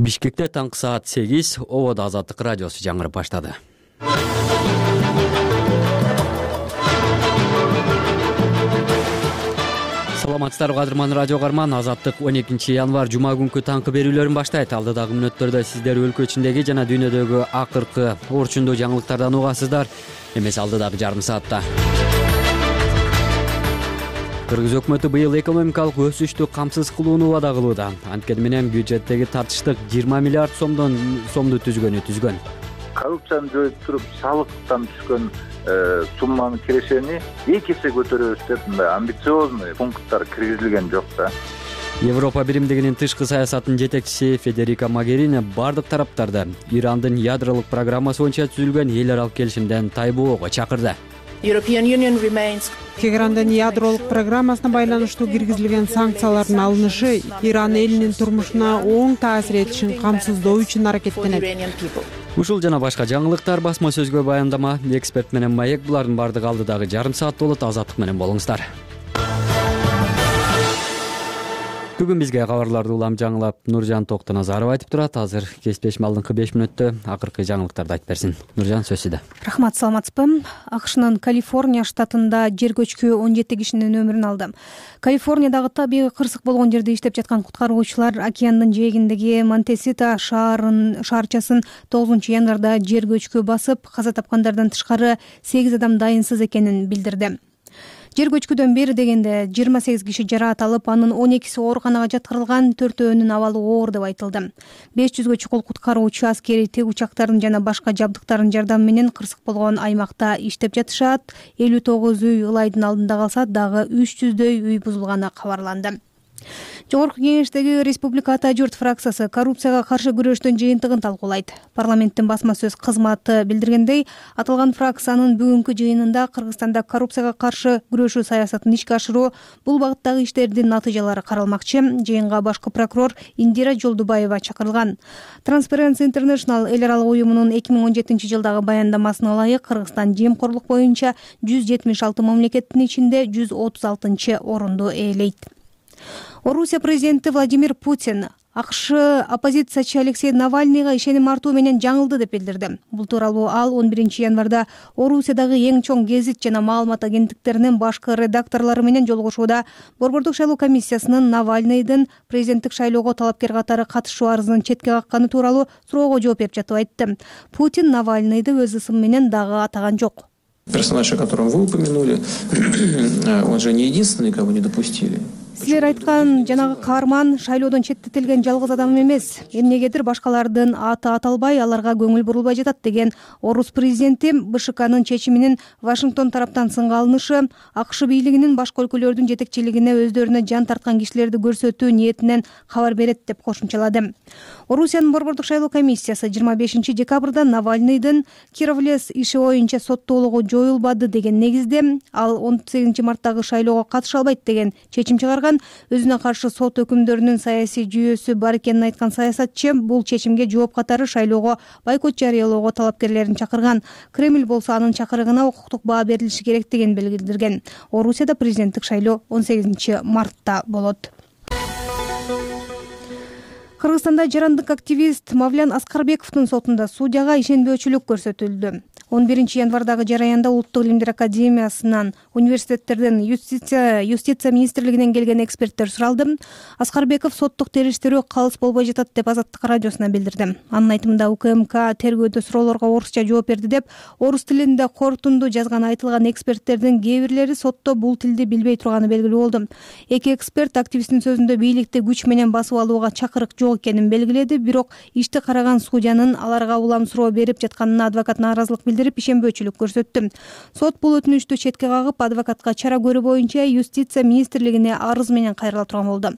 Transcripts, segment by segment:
Бишкекте таңкы саат 8 Ободо Азаттык радиосу жаңырып баштады. Саламатсыздарбы кадырман радио карман. Азаттык 12 январь жума күнкү таңкы берүүлөрүн баштайт. Алдыдагы мүнөттөрдө сиздер өлкө ичиндеги жана дүйнөдөгү акыркы орчундуу жаңылыктардан угасыздар. Эмес алдыдагы жарым саатта. Кыргыз өкмөтү быйыл экономикалык өсүштү камсыз кылууну убада кылууда. Анткени менен бюджеттеги тартыштык 20 миллиард сомду түзгөн. Коррупцияны жоюп туруп салыктан түшкөн сумманын кирешени 2 эсе көтөрөбүз деп мындай амбициозный пункттар киргизилген жок да. Европа биримдигинин тышкы саясатынын жетекчиси Федерика Могерини бардык тараптарды Ирандын ядролук программасы боюнча түзүлгөн эл аралык келишимден тайбоого чакырды. Тегерандын ядролук программасына байланыштуу киргизилген санкциялардын алынышы Иран элинин турмушуна оң таасир этишин камсыздоо үчүн аракеттенет. Ушул жана башка жаңылыктар басма сөзгө баяндама, эксперт менен маек булардын бардыгы алдыдагы жарым саат болот. Азаттык менен болуңуздар. Бүгүн бизге кабарларды улам жаңылап Нуржан Токтоназаров айтып турат. Азыр кесиптешим алдыңкы 5 мүнөттө акыркы жаңылыктарды айтып берсин. Нуржан, сөз сизде. Рахмат, саламатсызбы? АКШнын Калифорния штатында жер көчкү 17 кишинин өмүрүн алды. Калифорниядагы табигый кырсык болгон жерде иштеп жаткан куткаруучулар океандын жээгиндеги Монтесита шаарчасын 9 январда жер көчкү басып, каза тапкандардан тышкары 8 адам дайынсыз экенин билдирди. Жер көчкүдөн бери дегенде 28 киши жараат алып, анын 12си ооруканага жаткырылган, 4-өөнүн абалы оор деп айтылды. 500гө чукул куткаруучу аскерий тигучактардын жана башка жабдыктардын жардамы менен кырсык болгон аймакта иштеп жатышат. 59 үй ылайдын алдында калса, дагы 300дөй үй бузулганы кабарланды. Жогорку кеңештеги Республика Ата журт фракциясы коррупцияга каршы күрөштүн жыйынтыгын талкуулайт. Парламенттин басма сөз кызматы билдиргендей, аталган фракциянын бүгүнкү жыйынында Кыргызстанда коррупцияга каршы күрөшүү саясатын ишке ашыруу, бул багыттагы иштердин натыйжалары каралмакчы. Жыйынга башкы прокурор Индира Жолдубаева чакырылган. Transparency International эл аралык уюмунун 2017-жылдагы баяндамасына ылайык, Кыргызстан жемкорлук боюнча 176 мамлекеттин ичинде 136-орунду ээлейт. Орусия президенти Владимир Путин АКШ оппозициячы Алексей Навальныйга ишеним артуу менен жаңылды деп билдирди. Бул тууралуу ал 11 январда Орусиядагы эң чоң гезит жана маалымат агенттиктеринин башкы редакторлору менен жолугушууда Борбордук шайлоо комиссиясынын Навальныйдын президенттик шайлоого талапкер катары катышуу арызын четке какканы тууралуу суроого жооп берип жатып айтты. Путин Навальныйды өз ысымы менен дагы атаган жок. Персонаж, о котором вы упомянули, он же не единственный, кого не допустили. Силер айткан жанагы каарман шайлоодон четтетилген жалгыз адам эмес. Эмнегедир башкалардын аты аталбай, аларга көңүл бурулбай жатат деген орус президенти БШКнын чечиминин Вашингтон тараптан сынга алынышы, АКШ бийлигинин башка өлкөлөрдүн жетекчилигине өздөрүнө жан тарткан кишилерди көрсөтүү ниетинен кабар берет деп кошумчалады. Орусиянын Борбордук шайлоо комиссиясы 25 декабрда Навальныйдын Кировлес иши боюнча соттоолугу жоюлбады деген негизде, ал 18 марттагы шайлоого катыша албайт деген чечим чыгарган. Өзүнө каршы сот өкүмдөрүнүн саясий жүйөсү бар экенин айткан саясатчы бул чечимге жооп катары шайлоого бойкот жарыялоого талапкерлерин чакырган. Кремль болсо анын чакырыгына укуктук баа берилиши керектигин билдирген. Орусияда президенттик шайлоо 18 мартта болот. Кыргызстанда жарандык активист Мавлян Аскарбековдун сотунда судьяга ишенбөөчүлүк көрсөтүлдү. 11 январдагы жараянда Улуттук илимдер академиясынан, университеттерден, юстиция министрлигинен келген эксперттер суралды. Аскарбеков соттук териштирүү калыс болбой жатат деп Азаттык радиосуна билдирди. Анын айтымында УКМК тергөөдө суроолорго орусча жооп берди деп, орус тилинде корутунду жазган айтылган эксперттердин кээ бирлери сотто бул тилди билбей турганы белгилүү болду. Эки эксперт активисттин сөзүндө бийликти күч менен басып алууга чакырык жок экенин белгиледи, бирок ишти караган судьянын аларга улам суроо берип жатканына адвокат нааразылык билдирди. Ишенбөөчүлүк көрсөттү. Сот бул өтүнүчтү четке кагып, адвокатка чара көрүү боюнча юстиция министрлигине арыз менен кайрыла турган болду.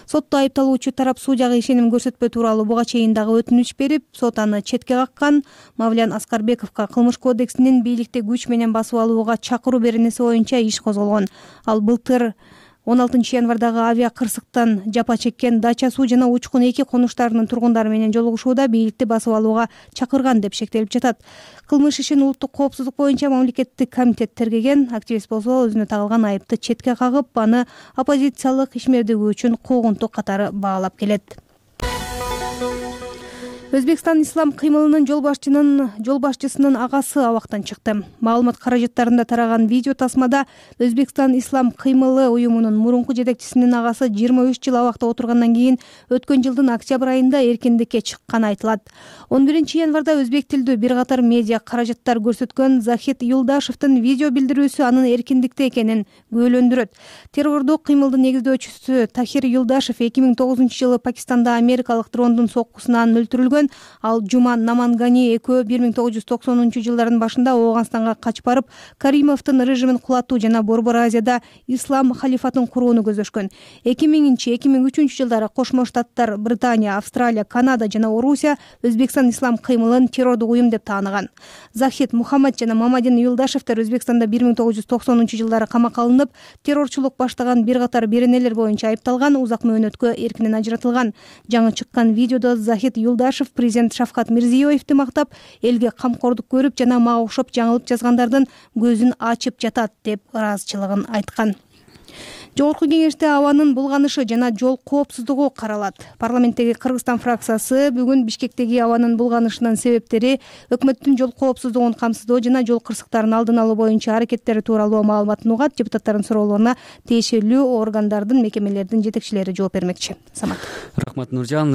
Сотто айыпталуучу тарап судьяга ишеним көрсөтпөө тууралуу буга чейин дагы өтүнүч берип, сот аны четке каккан. Мавлян Аскарбековго кылмыш кодексинин бийликти күч менен басып алууга чакыруу беренеси боюнча иш козголгон. Ал былтыр 16 январдагы авиа кырсыктан жапа чеккен Дача суу жана Учкун 2 конуштарынын тургундары менен жолугушууда бийликти басып алууга чакырган деп шектелип жатат. Кылмыш ишин улуттук коопсуздук боюнча мамлекеттик комитет тергеген. Активист болсо өзүнө тагылган айыпты четке кагып, аны оппозициялык ишмердиги үчүн куугунтук катары баалап келет. Өзбекстан ислам кыймылынын жол башчысынын агасы абактан чыкты. Маалымат каражаттарында тараган видео тасмада Өзбекстан ислам кыймылы уюмунун мурунку жетекчисинин агасы 23 жыл абакта отургандан кийин өткөн жылдын октябрь айында эркиндикке чыкканы айтылат. 11 январда өзбек тилдүү бир катар медиа каражаттар көрсөткөн Захид Юлдашевдин видео билдирүүсү анын эркиндикте экенин күбөлөндүрөт. Террордук кыймылдын негиздөөчүсү Тахир Юлдашев 2009 жылы Пакистанда америкалык дрондун соккусунан өлтүрүлгөн. Ал Жуман Намангани экөө 1990 жылдардын башында Ооганстанга качып барып, Каримовдун режимин кулатуу жана Борбор Азияда ислам халифатын курууну көздөшкөн. 2000-2003 жылдары Кошмо Штаттар, Британия, Австралия, Канада жана Орусия Өзбекстан ислам кыймылын террордук уюм деп тааныган. Захид Мухаммад жана Мамадин Юлдашевдер Өзбекстанда 1990 жылдары камакка алынып, террорчулук баштаган бир катар беренелер боюнча айыпталган, узак мөөнөткө эркинен ажыратылган. Жаңы чыккан видеодо Захид Юлдашев президент Шавкат Мирзиёевди мактап, элге камкордук көрүп жана мага окшоп жаңылып жазгандардын көзүн ачып жатат деп ыраазычылыгын айткан. Жогорку кеңеште абанын булганышы жана жол коопсуздугу каралат. Парламенттеги Кыргызстан фракциясы бүгүн Бишкектеги абанын булганышынын себептери, өкмөттүн жол коопсуздугун камсыздоо жана жол кырсыктарын алдын алуу боюнча аракеттери тууралуу маалыматын угат. Депутаттардын суроолоруна тиешелүү органдардын, мекемелердин жетекчилери жооп бермекчи. Самат. Рахмат Нуржан.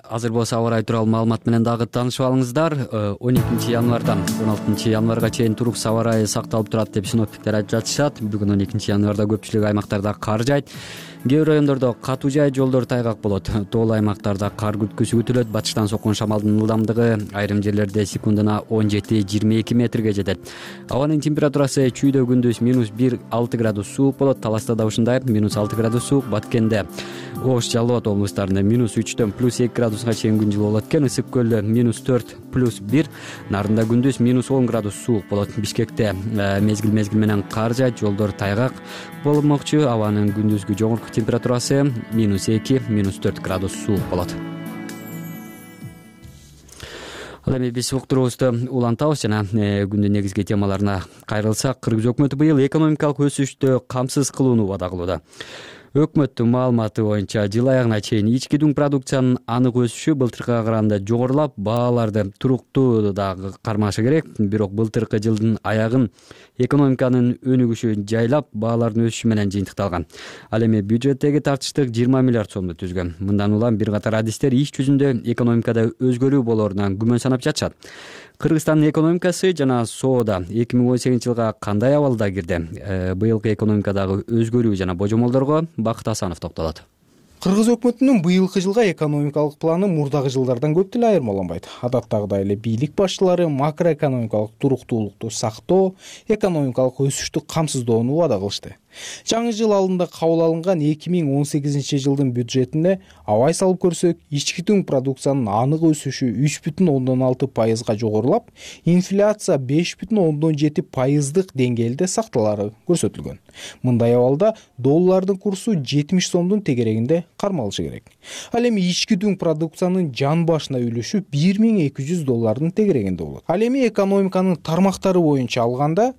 Азыр болсо аба ырайы тууралуу маалымат менен дагы таанышып алыңыздар. 12 январдан 16 январга чейин турук аба ырайы сакталып турат деп синоптиктер айтып жатышат. Бүгүн 12 январда көпчүлүк аймактарда кар жайт. Кээ бир райондордо катуу жай, жолдор тайгак болот. Тоолуу аймактарда кар күткүсү күтүлөт. Батыштан соккон шамалдын ылдамдыгы айрым жерлерде секундуна 17-22 метрге жетет. Абанын температурасы чүйдө күндүз -1-6 градус суук болот. Таласта да ушундай -6 градус суук. Баткенде, Ош, Жалал Абад облустарында -3-төн +2 градуска чейин күн жылуу болот экен. Ысык көлдө -4 +1, Нарында күндүз -10 градус суук болот. Бишкекте мезгил менен кар жайт, жолдор тайгак болмокчу. Абанын күндүзгү жогорку температурасы -2-4 градус суук болот. Ал эми биз уктуруубузду улантабыз жана күндүн негизги темаларына кайрылсак, Кыргыз өкмөтү быйыл экономикалык өсүштү камсыз кылууну убада кылууда. Өкмөттүн маалыматы боюнча жыл аягына чейин ички дүң продукциянын анык өсүшү былтыркыга караганда жогорулап, бааларды туруктуу дагы кармашы керек. Бирок былтыркы жылдын аягын экономиканын өнүгүшү жайлап, баалардын өсүшү менен жыйынтыкталган. Ал эми бюджеттеги тартыштык 20 миллиард сомду түзгөн. Мындан улам бир катар адистер иш жүзүндө экономикада өзгөрүү болоорунан күмөн санап жатышат. Кыргызстандын экономикасы жана соода 2018 жылга кандай абалда кирди? Быйылкы экономикадагы өзгөрүү жана божомолдорго Бакыт Асанов токтолот. Кыргыз өкмөтүнүн быйылкы жылга экономикалык планы мурдагы жылдардан көп деле айырмаланбайт. Адаттагыдай эле бийлик башчылары макроэкономикалык туруктуулукту сактоо, экономикалык өсүштү камсыздоону убада кылышты. Жаңы жыл алдында кабыл алынган 2018 жылдын бюджетине абай салып көрсөк, ички дүң продукциянын анык өсүшү 3,6% жогорулап, инфляция 5,7% деңгээлде сакталары көрсөтүлгөн. Мындай абалда доллардын курсу 70 сомдун тегерегинде кармалышы керек. Ал эми ички дүң продукциянын жан башына үлүшү $1200 тегерегинде болот. Ал эми экономиканын тармактары боюнча алганда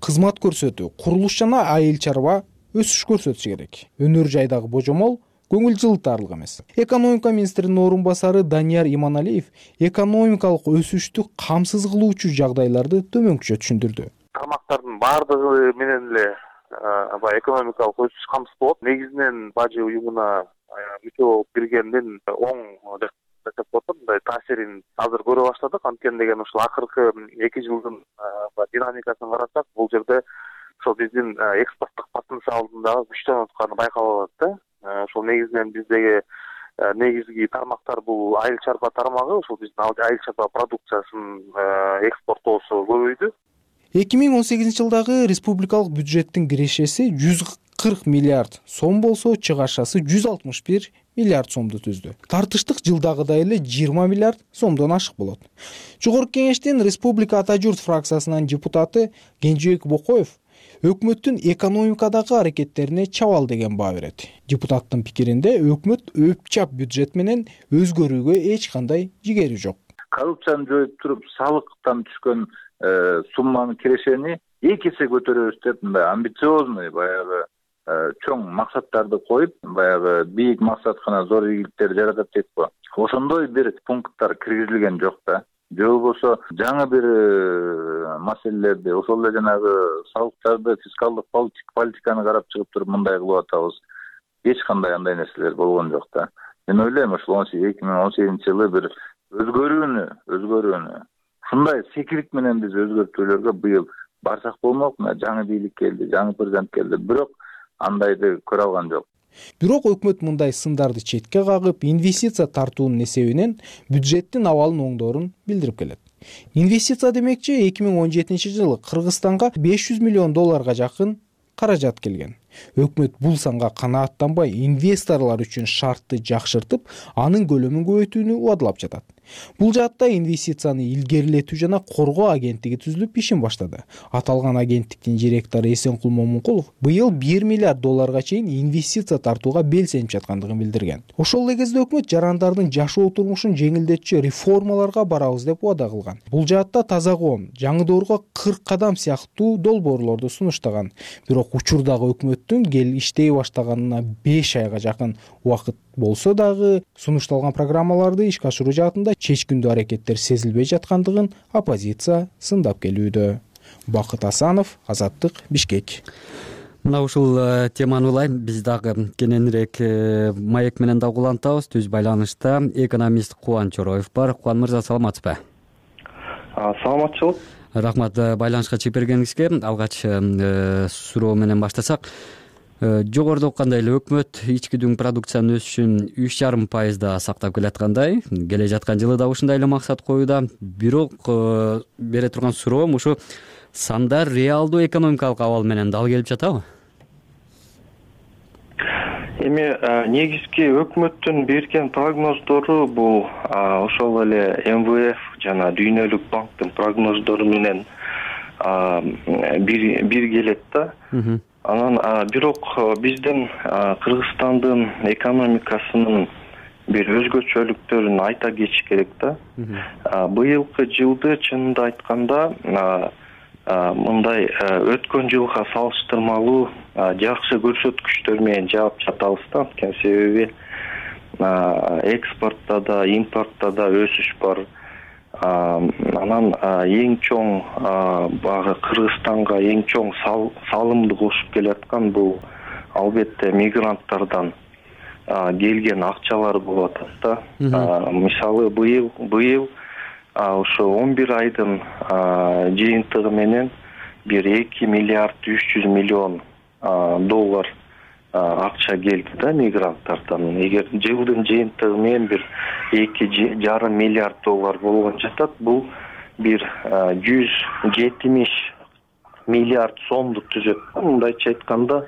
кызмат көрсөтүү, курулуш жана айыл чарба өсүш көрсөтүшү керек. Өнөр жайдагы божомол көңүл жылытарлык эмес. Экономика министринин орун басары Данияр Иманалиев экономикалык өсүштү камсыз кылуучу жагдайларды төмөнкүчө түшүндүрдү. Тармактардын баардыгы менен эле экономикалык өсүш камсыз болот. Негизинен бажы уюмуна мүчө болуп киргендин оң деп коет, мындай таасирин азыр көрө баштадык. Анткени деген ушул акыркы 2 жылдын динамикасын карасак, бул жерде ошо биздин экспорттук потенциалдын дагы күчтөнүп атканы байкалып атат да. Ошол негизинен биздеги негизги тармактар бул айыл чарба тармагы. Ошол биздин айыл чарба продукциясынын экспорттоосу көбөйдү. 2018 жылдагы республикалык бюджеттин кирешеси 140 миллиард сом болсо, чыгашасы 161 миллиард сомду түздү. Тартыштык жылдагыдай эле 20 миллиард сомдон ашык болот. Жогорку кеңештин Республика Ата журт фракциясынын депутаты Кенжебек Бокоев өкмөттүн экономикадагы аракеттерине чабал деген баа берет. Депутаттын пикиринде өкмөт өпчап бюджет менен өзгөрүүгө эч кандай жигери жок. Коррупцияны жоюп туруп, салыктан түшкөн сумманын кирешени 2 эсе көтөрөбүз деп, мындай амбициозный баягы чоң максаттарды коюп, баягы бийик максаткана зор ийгиликтер жаратат дейт го. Ошондой бир пункттар киргизилген жок да. Же болбосо жаңы бир маселелерди, ошол эле жанагы салыктарды, фискалдык политиканы карап чыгып туруп мындай кылып атабыз. Эч кандай андай нерселер болгон жок да. Мен ойлойм, ошол 2018-жылы бир өзгөрүүнү ушундай секирик менен биз өзгөртүүлөргө быйыл барсак болмок. Мына жаңы бийлик келди, жаңы президент келди, бирок андайды көрө алган жок. Бирок өкмөт мындай сындарды четке кагып, инвестиция тартуунун эсебинен бюджеттин абалын оңдоорун билдирип келет. Инвестиция демекчи 2017-жылы Кыргызстанга $500 миллион жакын каражат келген. Өкмөт бул санга канааттанбай, инвесторлор үчүн шартты жакшыртып, анын көлөмүн көбөйтүүнү убадалап жатат. Бул жаатта инвестицияны илгерилетүү жана коргоо агенттиги түзүлүп ишин баштады. Аталган агенттиктин директору Эсенкул Момункулов быйыл $1 миллиард чейин инвестиция тартууга белсенип жаткандыгын билдирген. Ошол эле кезде өкмөт жарандардын жашоо турмушун жеңилдетчү реформаларга барабыз деп убада кылган. Бул жаатта таза коом, жаңы доорго 40 кадам сыяктуу долбоорлорду сунуштаган. Бирок учурдагы өкмөттүн иштей баштаганына 5 айга жакын убакыт болсо дагы сунушталган программаларды ишке ашыруу жаатында чечкиндүү аракеттер сезилбей жаткандыгын оппозиция сындап келүүдө. Бакыт Асанов, Азаттык, Бишкек. Мына ушул теманы улайм, биз дагы кененирээк маек менен дагы улантабыз. Түз байланышта экономист Кубан Чороев бар. Кубан мырза, саламатсызбы? Саламатчылык. Рахмат байланышка чыгып бергениңизге. Алгач суроо менен баштасак. Жогоруда окугандай эле өкмөт ички дүң продукциянын өсүшүн 3,5% сактап келаткандай, келе жаткан жылы да ушундай эле максат коюуда. Бирок бере турган суроом ушу сандар реалдуу экономикалык абал менен дал келип жатабы? Эми негизги өкмөттүн берген прогноздору бул ошол эле МВФ жана Дүйнөлүк банктын прогноздору менен бир келет да. Анан бирок биздин Кыргызстандын экономикасынын бир өзгөчөлүктөрүн айта кетиш керек да. Быйылкы жылды чынында айтканда мындай өткөн жылга салыштырмалуу жакшы көрсөткүчтөр менен жаап жатабыз да. Анткени себеби экспортто да, импортто да өсүш бар. Анан эң чоң багы Кыргызстанга эң чоң салымды кошуп келаткан бул албетте мигранттардан келген акчалар болуп атат да. Мисалы быйыл ошо 11 айдын жыйынтыгы менен бир $2 миллиард 300 миллион акча келди да мигранттардан. Эгер жылдын жыйынтыгы менен бир $2,5 миллиард болгон жатат, бул бир 170 миллиард сомду түзөт. Мындайча айтканда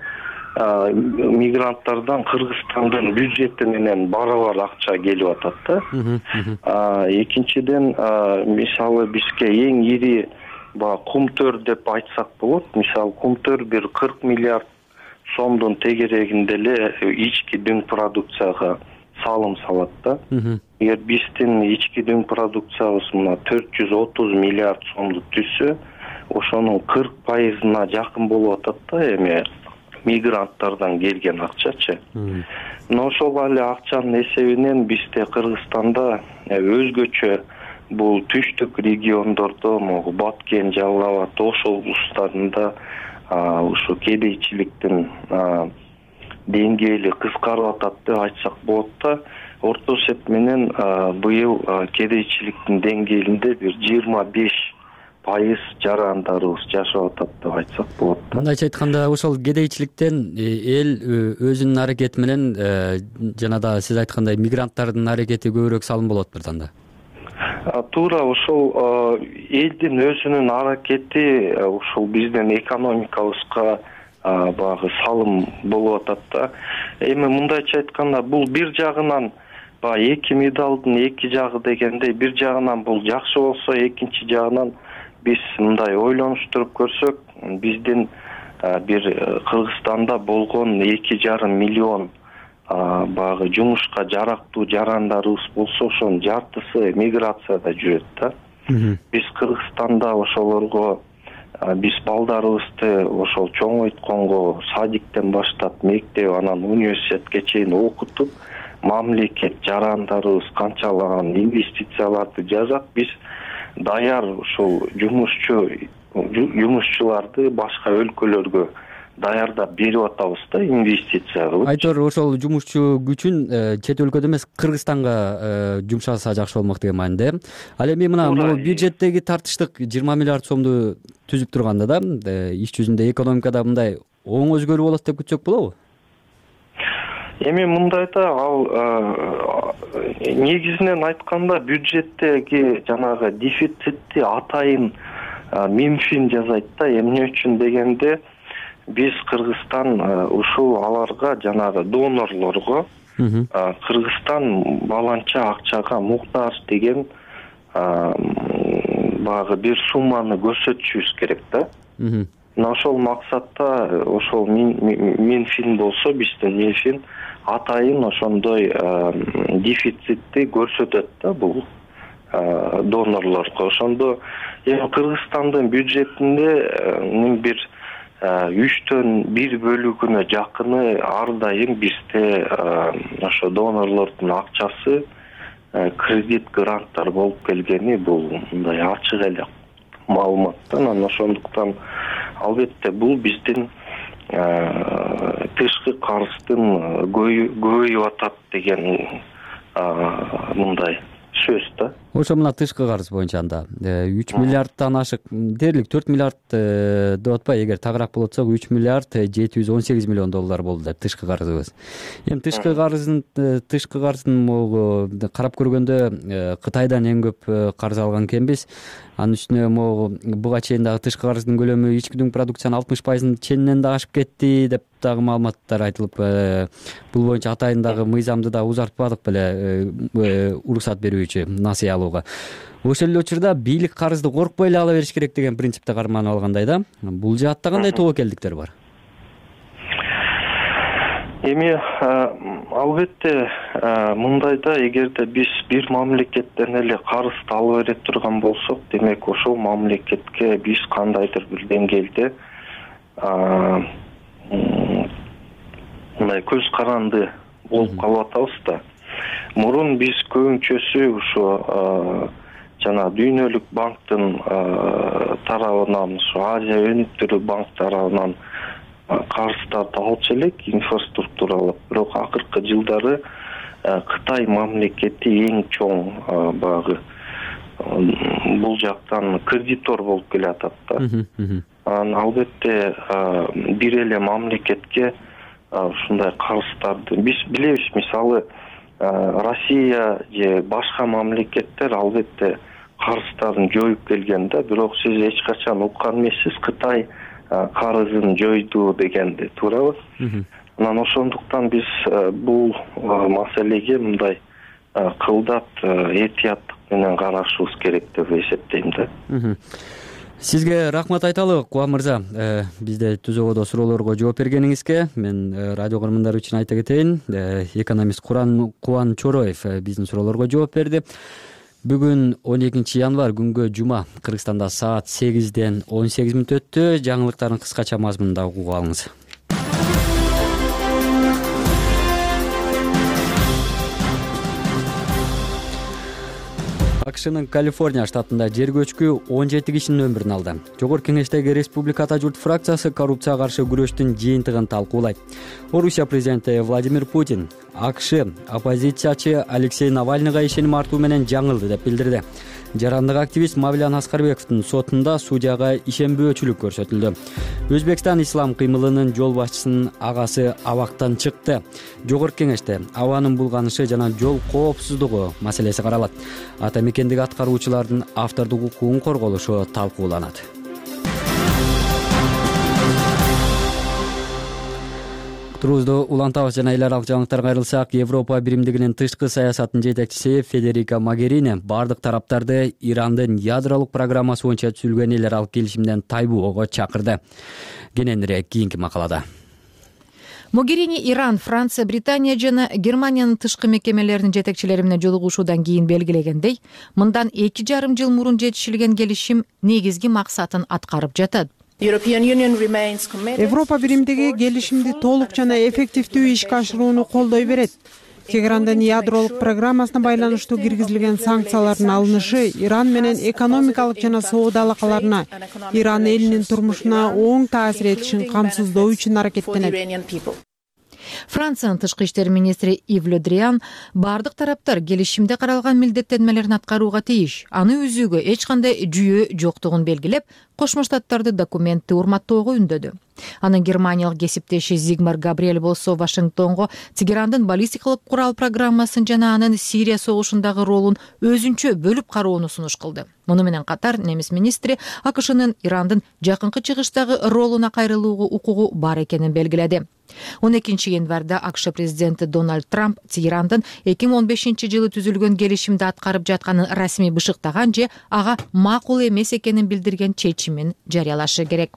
мигранттардан Кыргызстандын бюджети менен барабар акча келип атат да. Экинчиден мисалы бизге эң ири кумтөр деп айтсак болот. Мисалы кумтөр бир 40 миллиард сомдун тегерегинде эле ички дүң продукцияга салым салат да. Эгер биздин ички дүң продукциябыз мына 430 миллиард сомду түзсө, ошонун 40%-на жакын болуп атат да эми мигранттардан келген акчачы. Но ошол эле акчанын эсебинен бизде Кыргызстанда өзгөчө бул түштүк региондордо, Баткен, Жалал абад, Ош облустарында ушу кедейчиликтин деңгээли кыскарып атат деп айтсак болот да. Орто эсеп менен быйыл кедейчиликтин деңгээлинде бир 25% жарандарыбыз жашап атат деп айтсак болот да. Мындайча айтканда, ошол кедейчиликтен эл өзүнүн аракети менен жана да сиз айткандай мигранттардын аракети көбүрөөк салым болот бирданда. Туура ошол элдин өзүнүн аракети ушул биздин экономикабызга багы салым болуп атат да. Эми мындайча айтканда, бул бир жагынан эки медалдын эки жагы дегендей, бир жагынан бул жакшы болсо, экинчи жагынан биз мындай ойлонуштуруп көрсөк, биздин бир Кыргызстанда болгон 2,5 миллион багы жумушка жарактуу жарандарыбыз болсо, ошонун жартысы миграцияда жүрөт да. Биз Кыргызстанда ошолорго биз балдарыбызды ошол чоңойтконго садиктен баштап мектеп, анан университетке чейин окутуп, мамлекет жарандарыбыз канчалаган инвестицияларды жасап, биз даяр ушул жумушчуларды башка өлкөлөргө даярдап берип атабыз да, инвестиция кылып. Айтор ошол жумушчу күчүн чет өлкөдө эмес, Кыргызстанга жумшаса жакшы болмок деген мааниде. Ал эми мына бул бюджеттеги тартыштык 20 миллиард сомду түзүп турганда да, иш жүзүндө экономикада мындай оң өзгөрүү болот деп күтсөк болобу? Эми мындайда ал негизинен айтканда бюджеттеги жанагы дефицитти атайын Минфин жасайт да. Эмне үчүн дегенде, биз Кыргызстан ушул аларга жанагы донорлорго Кыргызстан баланча акчага муктаж деген багы бир сумманы көрсөтүшүбүз керек да. Мына ошол максатта ошол Минфин болсо, биздин Минфин атайын ошондой дефицитти көрсөтөт да бул донорлорго. Ошондо эми Кыргызстандын бюджетинде бир 3/1 бөлүгүнө жакыны ар дайым бизде ошо донорлордун акчасы кредит гранттар болуп келгени бул мындай ачык эле маалымат. Анан ошондуктан албетте бул биздин тышкы карыздын көбөйүп атат деген мындай сөз да. Ошо мына тышкы карыз боюнча анда 3 миллиардтан ашык, дээрлик 4 миллиард деп атпайбы, эгер тагыраак болот болсок 3 миллиард 718 миллион доллар болду деп тышкы карызыбыз. Эми тышкы карыздын могу карап көргөндө Кытайдан эң көп карыз алган экенбиз. Анын үстүнө могу буга чейин дагы тышкы карыздын көлөмү ички дүң продукциянын 60%-ын ченинен да ашып кетти деп дагы маалыматтар айтылып, бул боюнча атайын дагы мыйзамды да узартпадык беле уруксат берүүчү насыя алууга. Ошол эле учурда бийлик карызды коркпой эле ала бериш керек деген принципте карманып алгандай да. Бул жаатта кандай тобокелдиктер бар? Эми албетте мындайда, эгерде биз бир мамлекеттен эле карызды ала бере турган болсок, демек ошол мамлекетке биз кандайдыр бир деңгээлде мындай көз каранды болуп калып атабыз да. Мурун биз көбүнчөсү ушу жана Дүйнөлүк банктын тарабынан, ушу Азия өнүктүрүү банк тарабынан карыздарды алчу элек инфраструктуралык. Бирок акыркы жылдары Кытай мамлекети эң чоң багы бул жактан кредитор болуп келатат да. Албетте бир эле мамлекетке ушундай карыздарды биз билебиз. Мисалы Россия же башка мамлекеттер албетте карыздарын жоюп келген да, бирок сиз эч качан уккан эмессиз Кытай карызын жойду дегенди, туурабы? Анан ошондуктан биз бул маселеге мындай кылдат этияттык менен карашыбыз керек деп эсептейм да. Сизге рахмат айталы, Кубан мырза. Бизде түзөгөдө суроолорго жооп бергениңизге мен радио көрөрмандар үчүн айта кетейин. Экономист Кубан Чороев биздин суроолорго жооп берди. Бүгүн 12 январь күнгө жума, Кыргызстанда саат 8-ден 18 мүнөт өттү. Жаңылыктардын кыскача мазмунунда угуп алыңыз. АКШнын Калифорния штатында жер көчкү 17 кишинин өмүрүн алды. Жогорку кеңештеги Республика журт фракциясы коррупцияга каршы күрөштүн жыйынтыгын талкуулайт. Орусия президенти Владимир Путин АКШ оппозициячы Алексей Навальныйга ишеним артуу менен жаңылды деп билдирди. Жарандык активист Мавлян Аскарбековдун сотунда судьяга ишенбөөчүлүк көрсөтүлдү. Өзбекстан ислам кыймылынын жол башчысынын агасы абактан чыкты. Жогорку кеңеште абанын булганышы жана жол коопсуздугу маселеси каралат. Ата мекендеги аткаруучулардын автордук укугун корголушу талкууланат. Турубузду улантабыз жана эл аралык жаңылыктарга кайрылсак, Европа биримдигинин тышкы саясатынын жетекчиси Федерика Могерини бардык тараптарды Ирандын ядролук программасы боюнча түзүлгөн эл аралык келишимден тайбоого чакырды. Кененирээк кийинки макалада. Могерини Иран, Франция, Британия жана Германиянын тышкы мекемелеринин жетекчилери менен жолугушуудан кийин белгилегендей, мындан 2,5 жыл мурун жетишилген келишим негизги максатын аткарып жатат. Европа биримдиги келишимди толук жана эффективдүү ишке ашырууну колдой берет. Тегерандын ядролук программасына байланыштуу киргизилген санкциялардын алынышы Иран менен экономикалык жана соода алакаларына, Иран элинин турмушуна оң таасир этишин камсыздоо үчүн аракеттенет. Франциянын тышкы иштер министри Ив Ле Дриан бардык тараптар келишимде каралган милдеттенмелерин аткарууга тийиш, аны үзүүгө эч кандай жүйө жоктугун белгилеп, Кошмо Штаттарды документти урматтоого үндөдү. Анын германиялык кесиптеши Зигмар Габриэль болсо Вашингтонго Тегерандын баллистикалык курал программасын жана анын Сирия согушундагы ролун өзүнчө бөлүп кароону сунуш кылды. Муну менен катар немис министри АКШнын Ирандын жакынкы чыгыштагы ролуна кайрылууга укугу бар экенин белгиледи. 12 январда АКШ президенти Дональд Трамп Тегерандын 2015-жылы түзүлгөн келишимди аткарып жатканын расмий бышыктаган же ага макул эмес экенин билдирген чечимин жарыялашы керек.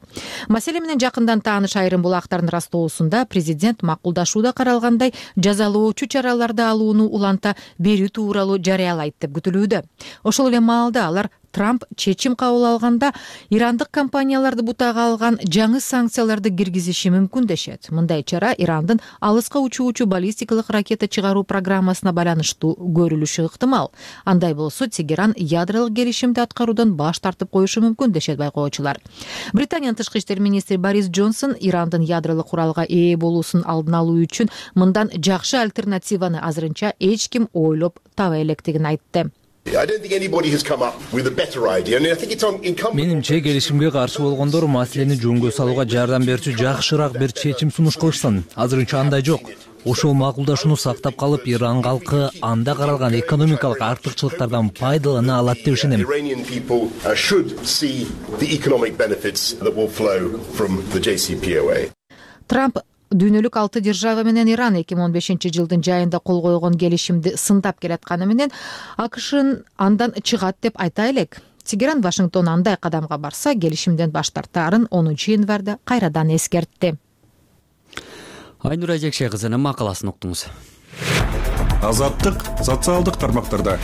Маселе менен жакындан тааныш айрым булактардын растоосунда президент макулдашууда каралгандай жазалоочу чараларды алууну уланта берүү тууралуу жарыялайт деп күтүлүүдө. Ошол эле маалда алар Трамп чечим кабыл алганда ирандык компанияларды бутага алган жаңы санкцияларды киргизиши мүмкүн дешет. Мындай чара Ирандын алыска учуучу баллистикалык ракета чыгаруу программасына байланыштуу көрүлүшү ыктымал. Андай болсо Тегеран ядролук келишимди аткаруудан баш тартып коюшу мүмкүн дешет байкоочулар. Британиянын тышкы иштер министри Борис Джонсон Ирандын ядролук куралга ээ болуусун алдын алуу үчүн мындан жакшы альтернативаны азырынча эч ким ойлоп таба электигин айтты. Менимче келишимге каршы болгондор маселени жөнгө салууга жардам берүүчү жакшыраак бир чечим сунуш кылышсын. Азырынча андай жок. Ошол макулдашууну сактап калып, Иран калкы анда каралган экономикалык артыкчылыктардан пайдалана алат деп ишенем. Трамп дүйнөлүк 6 держава менен Иран 2015-жылдын жайында кол койгон келишимди сындап келатканы менен АКШ андан чыгат деп айта элек. Тегеран Вашингтон андай кадамга барса, келишимден баш тартаарын 10 январда кайрадан эскертти. Айнура Жекше кызынын макаласын уктуңуз. Азаттык социалдык тармактарда.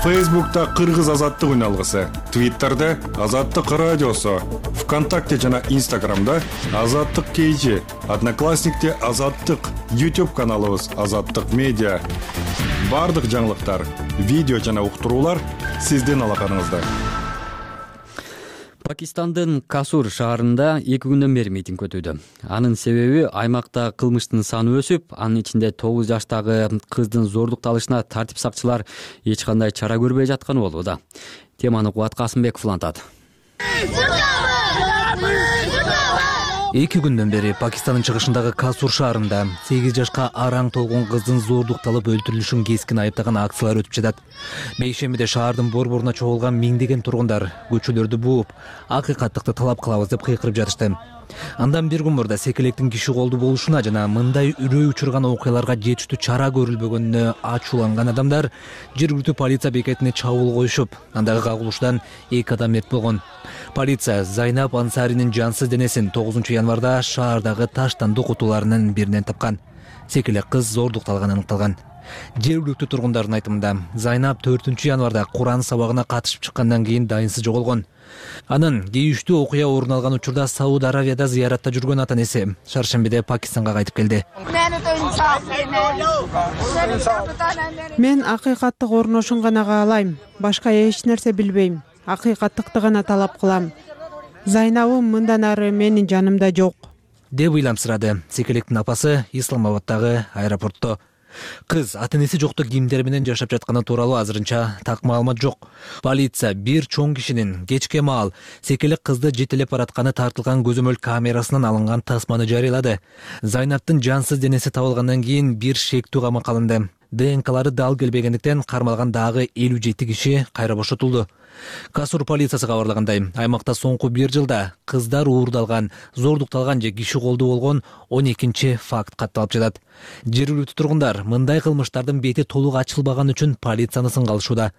Фейсбукта Кыргыз азаттык үн алгысы, Твиттерде Азаттык радиосу, ВКонтакте жана Инстаграмда Азаттык KG, Одноклассникте Азаттык, YouTube каналыбыз Азаттык медиа. Бардык жаңылыктар, видео жана уктуруулар сиздин алаканыңызда. Пакистандын Касур шаарында 2 күндөн бери митинг өтүүдө. Анын себеби аймакта кылмыштын саны өсүп, анын ичинде 9 жаштагы кыздын зордукталышына тартип сакчылар эч кандай чара көрбөй жатканы болууда. Теманы Кубат Касымбеков улантат. 2 күндөн бери Пакистандын чыгышындагы Касур шаарында 8 жашка араң толгон кыздын зордукталып өлтүрүлүшүн кескин айыптаган акциялар өтүп жатат. Бейшембиде шаардын борборуна чогулган миңдеген тургундар көчөлөрдү бууп, акыйкаттыкты талап кылабыз деп кыйкырып жатышты. Андан бир күн мурда секелектин киши колду болушуна жана мындай үрөй учурган окуяларга жетиштүү чара көрүлбөгөнүнө ачууланган адамдар жергиликтүү полиция бекетине чабуул коюшуп, андагы кагылышуудан 2 адам мерт болгон. Полиция Зайнап Ансаринин жансыз денесин 9 январда шаардагы таштанды кутуларынын биринен тапкан. Секелек кыз зордукталганы аныкталган. Жергиликтүү тургундардын айтымында Зайнап 4 январда Куран сабагына катышып чыккандан кийин дайынсыз жоголгон. Анын кейиштүү окуя орун алган учурда Сауд Аравияда зыяратта жүргөн ата-энеси шаршембиде Пакистанга кайтып келди. Мен акыйкаттык орношун гана каалайм, башка эч нерсе билбейм. Акыйкаттыкты гана талап кылам. Зайнабым мындан ары менин жанымда жок, деп ыйламсырады секелектин апасы Исламабаддагы аэропортто. Кыз ата-энеси жокто кимдер менен жашап жатканы тууралуу азырынча так маалымат жок. Полиция бир чоң кишинин кечке маал секелек кызды жетелеп баратканы тартылган көзөмөл камерасынан алынган тасманы жарыялады. Зайнаптын жансыз денеси табылгандан кийин бир шектүү камакка алынды. ДНКлары дал келбегендиктен кармалган дагы 57 киши кайра бошотулду. Касур полициясы кабарлагандай, аймакта соңку 1 жылда кыздар уурдалган, зордукталган же киши колду болгон 12 факт катталып жатат. Жергиликтүү тургундар мындай кылмыштардын бети толук ачылбаган үчүн полицияны сынга алышууда.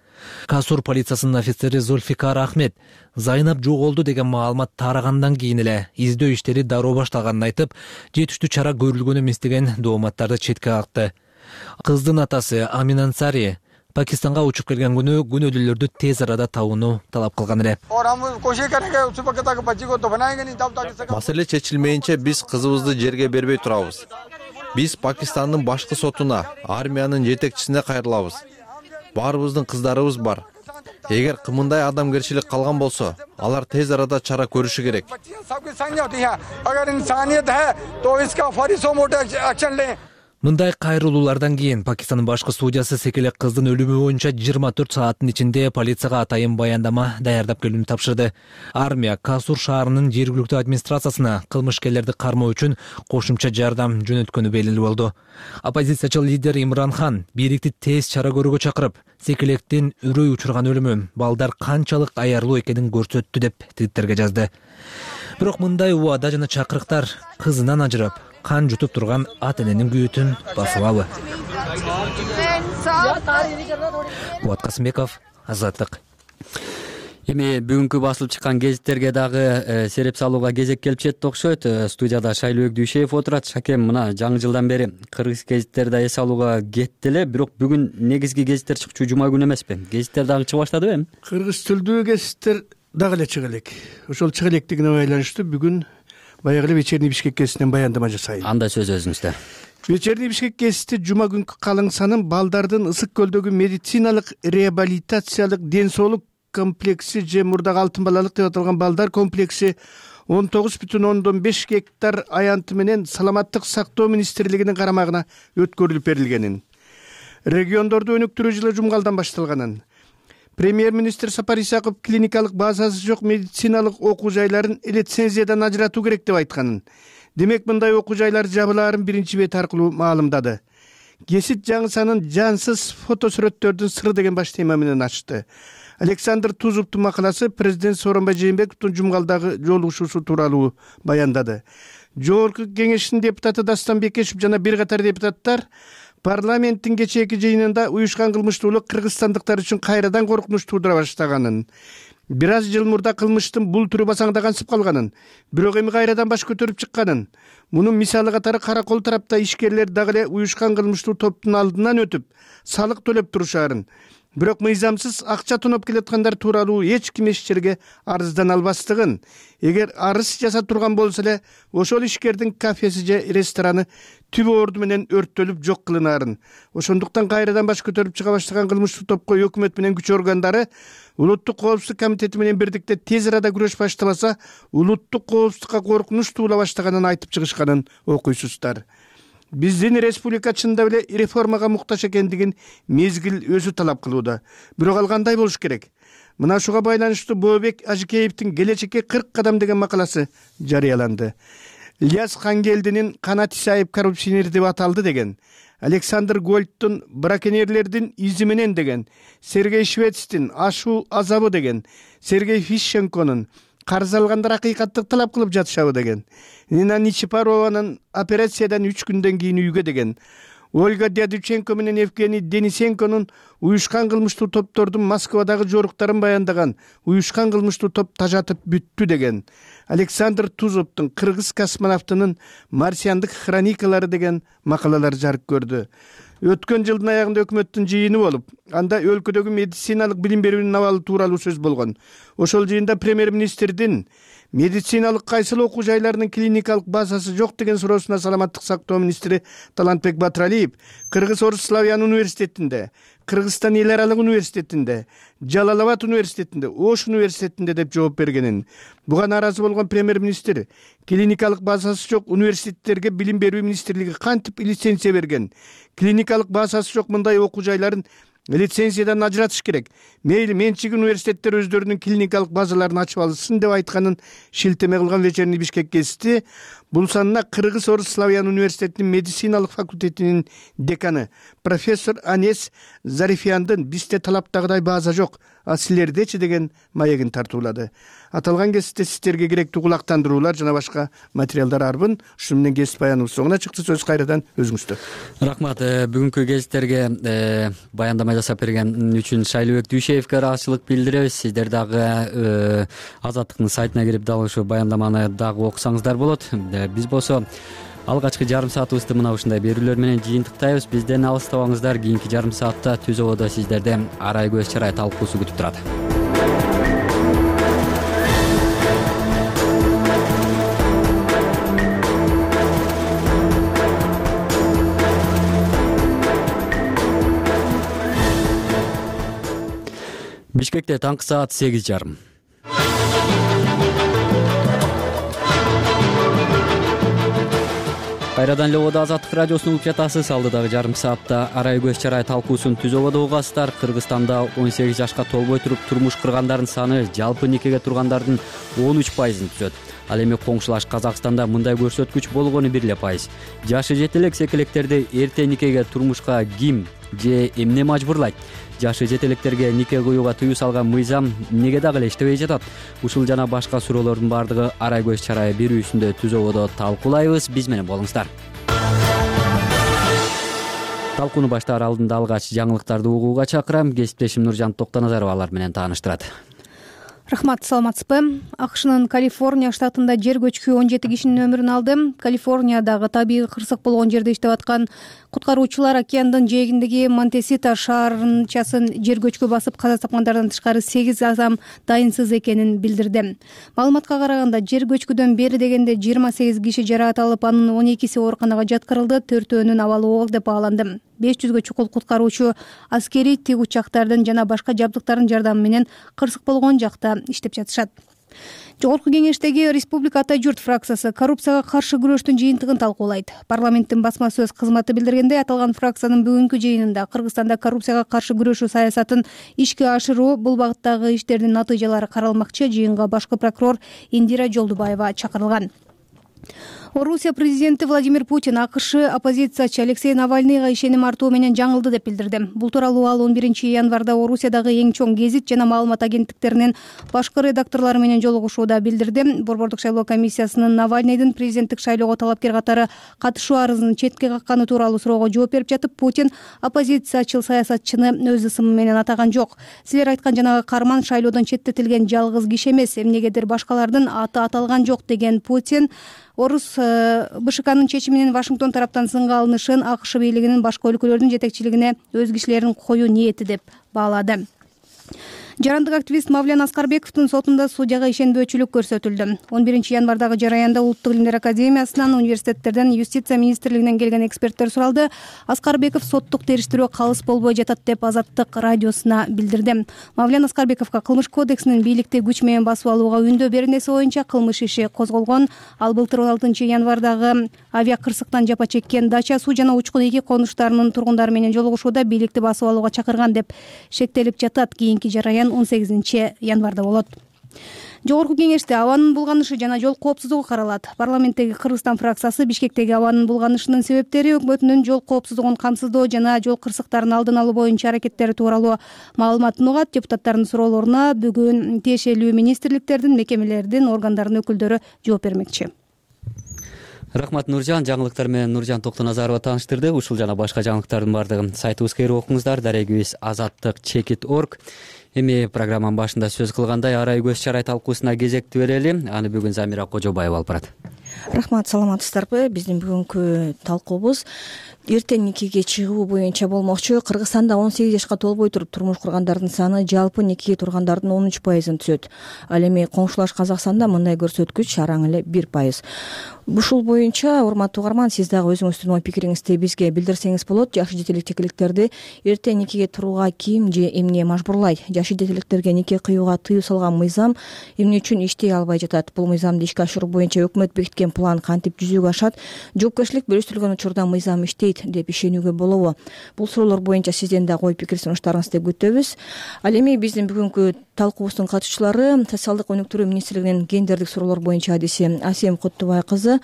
Касур полициясынын офицери Зульфикар Ахмед Зайнап жоголду деген маалымат тарагандан кийин эле издөө иштери дароо башталганын айтып, жетиштүү чара көрүлгөн эмес деген дооматтарды четке какты. Кыздын атасы Амин Ансари Пакистанга учуп келген күнү күнөөлүүлөрдү тез арада табууну талап кылган эле. Маселе чечилмейинче биз кызыбызды жерге бербей турабыз. Биз Пакистандын башкы сотуна, армиянын жетекчисине кайрылабыз. Баарыбыздын кыздарыбыз бар. Эгер кымындай адамгерчилик калган болсо, алар тез арада чара көрүшү керек. Мындай кайрылуулардан кийин Пакистандын башкы судьясы секелек кыздын өлүмү боюнча 24 сааттын ичинде полицияга атайын баяндама даярдап келүүнү тапшырды. Армия Касур шаарынын жергиликтүү администрациясына кылмышкерлерди кармоо үчүн кошумча жардам жөнөткөнү белгилүү болду. Оппозициячыл лидер Имран Хан бийликти тез чара көрүүгө чакырып, секелектин үрөй учурган өлүмү балдар канчалык аярлуу экенин көрсөттү деп твиттерге жазды. Бирок мындай убада жана чакырыктар кызынан ажырап, кан жутуп турган ата эненин күйүтүн басыбабы? Кубат Касымбеков, Азаттык. Эми бүгүнкү басылып чыккан гезиттерге дагы сереп салууга кезек келип жетти окшойт. Студияда Шайлыбек Дүйшеев отурат. Шакем, мына жаңы жылдан бери кыргыз гезиттери да эс алууга кетти эле, бирок бүгүн негизги гезиттер чыкчу жума күнү эмеспи? Гезиттер дагы чыга баштадыбы эми? Кыргыз тілдүү гезиттер дагы эле чыга элек. Ошол чыга электигине байланыштуу бүгүн баягы эле Вечерний Бишкек гезитинен баяндама жасайын. Андай сөз өзүңүздө. Вечерний Бишкек гезити жума күнкү калың санын балдардын Ысык көлдөгү медициналык реабилитациялык ден соолук комплекси же мурдагы алтын балалык деп аталган балдар комплекси 19,5 гектар аянты менен Саламаттык сактоо министрлигинин карамагына өткөрүлүп берилгенин, региондорду өнүктүрүү жылы жумгалдан башталганын, премьер-министр Сапар Исаков клиникалык базасы жок медициналык окуу жайларын лицензиядан ажыратуу керек деп айтканын, демек мындай окуу жайлар жабылаарын биринчи бет аркылуу маалымдады. Гезит жаңы санын жансыз фотосүрөттөрдүн сыры деген баш тема менен ачты. Александр Тузовдун макаласы президент Сооронбай Жээнбековдун жумгалдагы жолугушуусу тууралуу баяндады. Жогорку кеңештин депутаты Дастан Бекешев жана бир катар депутаттар парламенттин кечээки жыйынында уюшкан кылмыштуулук кыргызстандыктар үчүн кайрадан коркунуч туудура баштаганын, бир аз жыл мурда кылмыштын бул түрү басаңдагансып калганын, бирок эми кайрадан баш көтөрүп чыкканын, мунун мисалы катары Каракол тарапта ишкерлер дагы эле уюшкан кылмыштуу топтун алдынан өтүп, салык төлөп турушаарын, бирок мыйзамсыз акча тоноп келаткандар тууралуу эч ким эч жерге арыздана албастыгын, эгер арыз жасап турган болсо эле ошол ишкердин кафеси же рестораны түбү орду менен өрттөлүп жок кылынаарын, ошондуктан кайрадан баш көтөрүп чыга баштаган кылмыштуу топко өкмөт менен күч органдары улуттук коопсуздук комитети менен бирдикте тез арада күрөш баштабаса, улуттук коопсуздукка коркунуч туула баштаганын айтып чыгышканын окуйсуздар. Биздин республика чында эле реформага муктаж экендигин мезгил өзү талап кылууда. Бирок ал кандай болуш керек? Мына ушуга байланыштуу Бообек Ажыкеевдин келечекке 40 кадам деген макаласы жарыяланды. Ильяс Хангелдинин Канат Исаев коррупционер деп аталды деген, Александр Гольдтун браконьерлердин изи менен деген, Сергей Швецтин ашуу азабы деген, Сергей Фищенконун карыз алгандар акыйкаттык талап кылып жатышабы деген, Нина Ничипарованын операциядан 3 күндөн кийин үйгө деген, Ольга Дядюченко менен Евгений Денисенконун уюшкан кылмыштуу топтордун Москвадагы жоруктарын баяндаган, уюшкан кылмыштуу топ тажатып бүттү деген, Александр Тузовдун кыргыз космонавтынын марсиандык хроникалары деген макалалар жарык көрдү. Өткөн жылдын аягында өкмөттүн жыйыны болуп, анда өлкөдөгү медициналык билим берүүнүн абалы тууралуу сөз болгон. Ошол жыйында премьер-министрдин медициналык кайсыл окуу жайларынын клиникалык базасы жок деген суроосуна Саламаттык сактоо министри Талантбек Батыралиев Кыргыз-Орус Славян университетинде, Кыргызстан эл аралык университетинде, Жалалабад университетинде, Ош университетинде деп жооп бергенин. Буга нааразы болгон премьер-министр клиникалык базасы жок университеттерге билим берүү министрлиги кантип лицензия берген? Клиникалык базасы жок мындай окуу жайларын лицензиядан ажыратыш керек. Мейли менчик университеттер өздөрүнүн клиникалык базаларын ачып алсын деп айтканын шилтеме кылган Вечерний Бишкек гезити бул санына Кыргыз-Орус Славян университетинин медициналык факультетинин деканы профессор Анес Зарифияндын бизде талаптагыдай база жок, а силердечи деген маегин тартуулады. Аталган гезитте сиздерге керектүү кулактандыруулар жана башка материалдар арбын. Ушу менен гезит баяныбыз соңуна чыкты. Сөз кайрадан өзүңүздө. Рахмат. Бүгүнкү гезиттерге баяндама жасап берген үчүн Шайлыбек Дүйшеевке ыраазычылык билдиребиз. Сиздер дагы Азаттыктын сайтына кирип дал ошо баяндаманы дагы окусаңыздар болот. Биз болсо алгачкы жарым саатыбызды мына ушундай берүүлөр менен жыйынтыктайбыз. Бизден алыстабаңыздар. Кийинки жарым саатта Түз ободо сиздерди арай көз чарай талкуусу күтүп турат. Бишкекте таңкы саат 8:30. Кайрадан эле Ободо Азаттык радиосун угуп жатасыз. Алдыдагы жарым саатта арай көз чарай талкуусун Түз ободо угасыздар. Кыргызстанда 18 жашка толбой туруп турмуш кургандардын саны жалпы никеге тургандардын 13%-ын түзөт. Ал эми коңшулаш Казакстанда мындай көрсөткүч болгону 1%. Жашы жете элек секелектерди эрте никеге турмушка ким же эмне мажбурлайт? Жашы жетелектерге нике коюуга тыюу салган мыйзам эмнеге дагы эле иштебей жатат? Ушул жана башка суроолордун баардыгы арай көз чарай берүүсүндө Түз ободо талкуулайбыз. Биз менен болуңуздар. Талкууну баштаар алдында алгач жаңылыктарды угууга чакырам. Кесиптешим Нуржан Токтоназарова алар менен тааныштырат. Рахмат, саламатсызбы? АКШнын Калифорния штатында жер көчкү 17 кишинин өмүрүн алды. Калифорниядагы табигый кырсык болгон жерде иштеп аткан куткаруучулар океандын жээгиндеги Монтесита шаарынчасын жер көчкү басып каза тапкандардан тышкары 8 адам дайынсыз экенин билдирди. Маалыматка караганда жер көчкүдөн бери дегенде 28 киши жаракат алып, анын 12си ооруканага жаткырылды, 4-өөнүн абалы оор деп бааланды. 500гө чукул куткаруучу аскерий тик учактардын жана башка жабдыктардын жардамы менен кырсык болгон жакта иштеп жатышат. Жогорку кеңештеги Республика Ата журт фракциясы коррупцияга каршы күрөштүн жыйынтыгын талкуулайт. Парламенттин басма сөз кызматы билдиргендей, аталган фракциянын бүгүнкү жыйынында Кыргызстанда коррупцияга каршы күрөшүү саясатын ишке ашыруу, бул багыттагы иштердин натыйжалары каралмакчы. Жыйынга башкы прокурор Индира Жолдубаева чакырылган. Орусия президенти Владимир Путин АКШ оппозициячы Алексей Навальныйга ишеним артуу менен жаңылды деп билдирди. Бул тууралуу ал 11-январда Орусиядагы эң чоң гезит жана маалымат агенттиктеринин башкы редакторлору менен жолугушууда билдирди. Борбордук шайлоо комиссиясынын Навальныйдын президенттик шайлоого талапкер катары катышуу арызын четке какканы тууралуу суроого жооп берип жатып, Путин оппозициячыл саясатчыны өз ысымы менен атаган жок. Силер айткан жанагы карман шайлоодон четтетилген жалгыз киши эмес, эмнегедир башкалардын аты аталган жок деген Путин Орус БШКнын чечиминин Вашингтон тараптан сынга алынышын АКШ бийлигинин башка өлкөлөрдүн жетекчилигине өз кишилерин коюу ниети деп баалады. Жарандык активист Мавлян Аскарбековдун сотунда судьяга ишенбөөчүлүк көрсөтүлдү. 11-январдагы жараянда Улуттук илимдер академиясынан, университеттерден, юстиция министрлигинен келген эксперттер суралды. Аскарбеков соттук териштирүү калыс болбой жатат деп Азаттык радиосуна билдирди. Мавлян Аскарбековго кылмыш кодексинин бийликти күч менен басып алууга үндөө беренеси боюнча кылмыш иши козголгон. Ал былтыр 16-январдагы авиакырсыктан жапа чеккен Дача суу жана учкун эки конуштарынын тургундары менен жолугушууда бийликти басып алууга чакырган деп шектелип жатат. Кийинки жараян 18-январда болот. Жогорку кеңеште абанын булганышы жана жол коопсуздугу каралат. Парламенттеги Кыргызстан фракциясы Бишкектеги абанын булганышынын себептери, өкмөтүнүн жол коопсуздугун камсыздоо жана жол кырсыктарын алдын алуу боюнча аракеттери тууралуу маалыматын угат. Депутаттардын суроолоруна бүгүн тиешелүү министрликтердин, мекемелердин, органдардын өкүлдөрү жооп бермекчи. Рахмат, Нуржан. Жаңылыктар менен Нуржан Токтоназарова тааныштырды. Ушул жана башка жаңылыктардын баардыгын сайтыбызга кирип окуңуздар. Дарегибиз azattik.org. Эми программанын башында сөз кылгандай арай көз чарай талкуусуна кезекти берели. Аны бүгүн Замира Кожобаева алып барат. Рахмат, саламатсыздарбы? Биздин бүгүнкү талкуубуз эртең никеге чыгуу боюнча болмокчу. Кыргызстанда 18 жашка толбой туруп турмуш кургандардын саны жалпы никеге тургандардын 13%-ын түзөт. Ал эми коңшулаш Казакстанда мындай көрсөткүч араң эле 1%. Ушул боюнча, урматтуу угарман, сиз дагы өзүңүздүн ой пикириңизди бизге билдирсеңиз болот. Жашы жетелектерди эртең никеге турууга ким же эмне мажбурлайт? Жашы жетелектерге нике кыюуга тыюу салган мыйзам эмне үчүн иштей албай жатат? Бул мыйзамды ишке ашыруу боюнча өкмөт бекиткен план кантип жүзүгө ашат? Жоопкерчилик бөлүштүрүлгөн учурда мыйзам иштейт деп ишенүүгө болобу? Бул суроолор боюнча сизден дагы ой пикир сунуштарыңызды күтөбүз. Ал эми биздин бүгүнкү талкуубуздун катышчылары социалдык өнүктүрүү министрлигинин гендердик суроолор боюнча адиси Асем Куттубай кызы,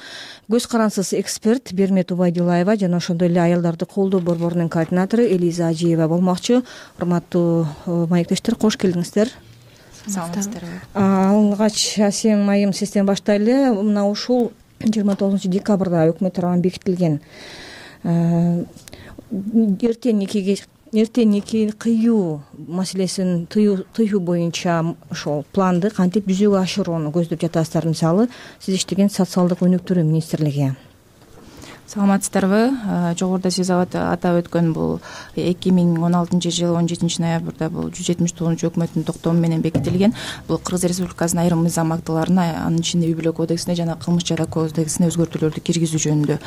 көз карансыз эксперт Бермет Убайдуллаева жана ошондой эле аялдарды колдоо борборунун координатору Элиза Ажиева болмокчу. Урматтуу маектештер, кош келиңиздер. Саламатсыздарбы? Алгач Асем айым сизден баштайлы. Мына ушул 29-декабрда өкмөт тарабынан бекитилген эртең нике кыюу маселесин тыюу боюнча ошол планды кантип жүзүгө ашырууну көздөп жатасыздар? Мисалы, сиз иштеген социалдык өнүктүрүү министрлиги. саламатсыздарбы. Жогоруда сиз атап өткөн бул 2016-жылы 17 ноябрда бул 179 өкмөттүн токтому менен бекитилген. Бул Кыргыз Республикасынын айрым мыйзам актыларына, анын ичинде үй бүлө кодексине жана кылмыш жара кодексине өзгөртүүлөрдү киргизүү жөнүндө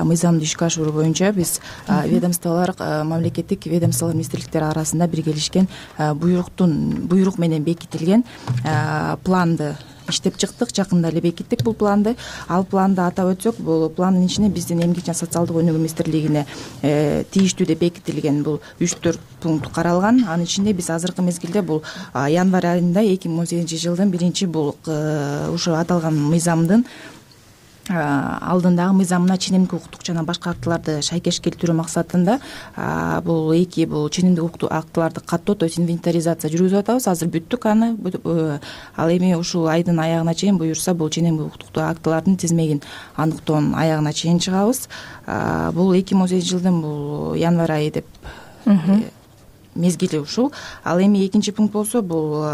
мыйзамды ишке ашыруу боюнча биз ведомстволор, мамлекеттик ведомстволор, министрликтер арасында биргелешкен буйрук менен бекитилген планды иштеп чыктык. Жакында эле бекиттик бул планды. Ал планды атап өтсөк, бул пландын ичине биздин Эмгек жана социалдык өнүгүү министрлигине тийиштүү деп бекитилген бул 3-4 пункт каралган. Анын ичинде биз азыркы мезгилде бул январь айында 2018-жылдын 1 бул ушу аталган мыйзамдын алдындагы мыйзамына ченемдик укуктук жана башка актыларды шайкеш келтирүү максатында бул ченемдик укуктук актыларды каттоо, то есть инвентаризация жүргүзүп атабыз. Азыр бүттүк аны. Ал эми ушул айдын аягына чейин буюрса бул ченемдик укуктук актылардын тизмегин аныктоонун аягына чейин чыгабыз. Бул 2018-жылдын бул январь айы деп мезгили ушул. Ал эми экинчи пункт болсо бул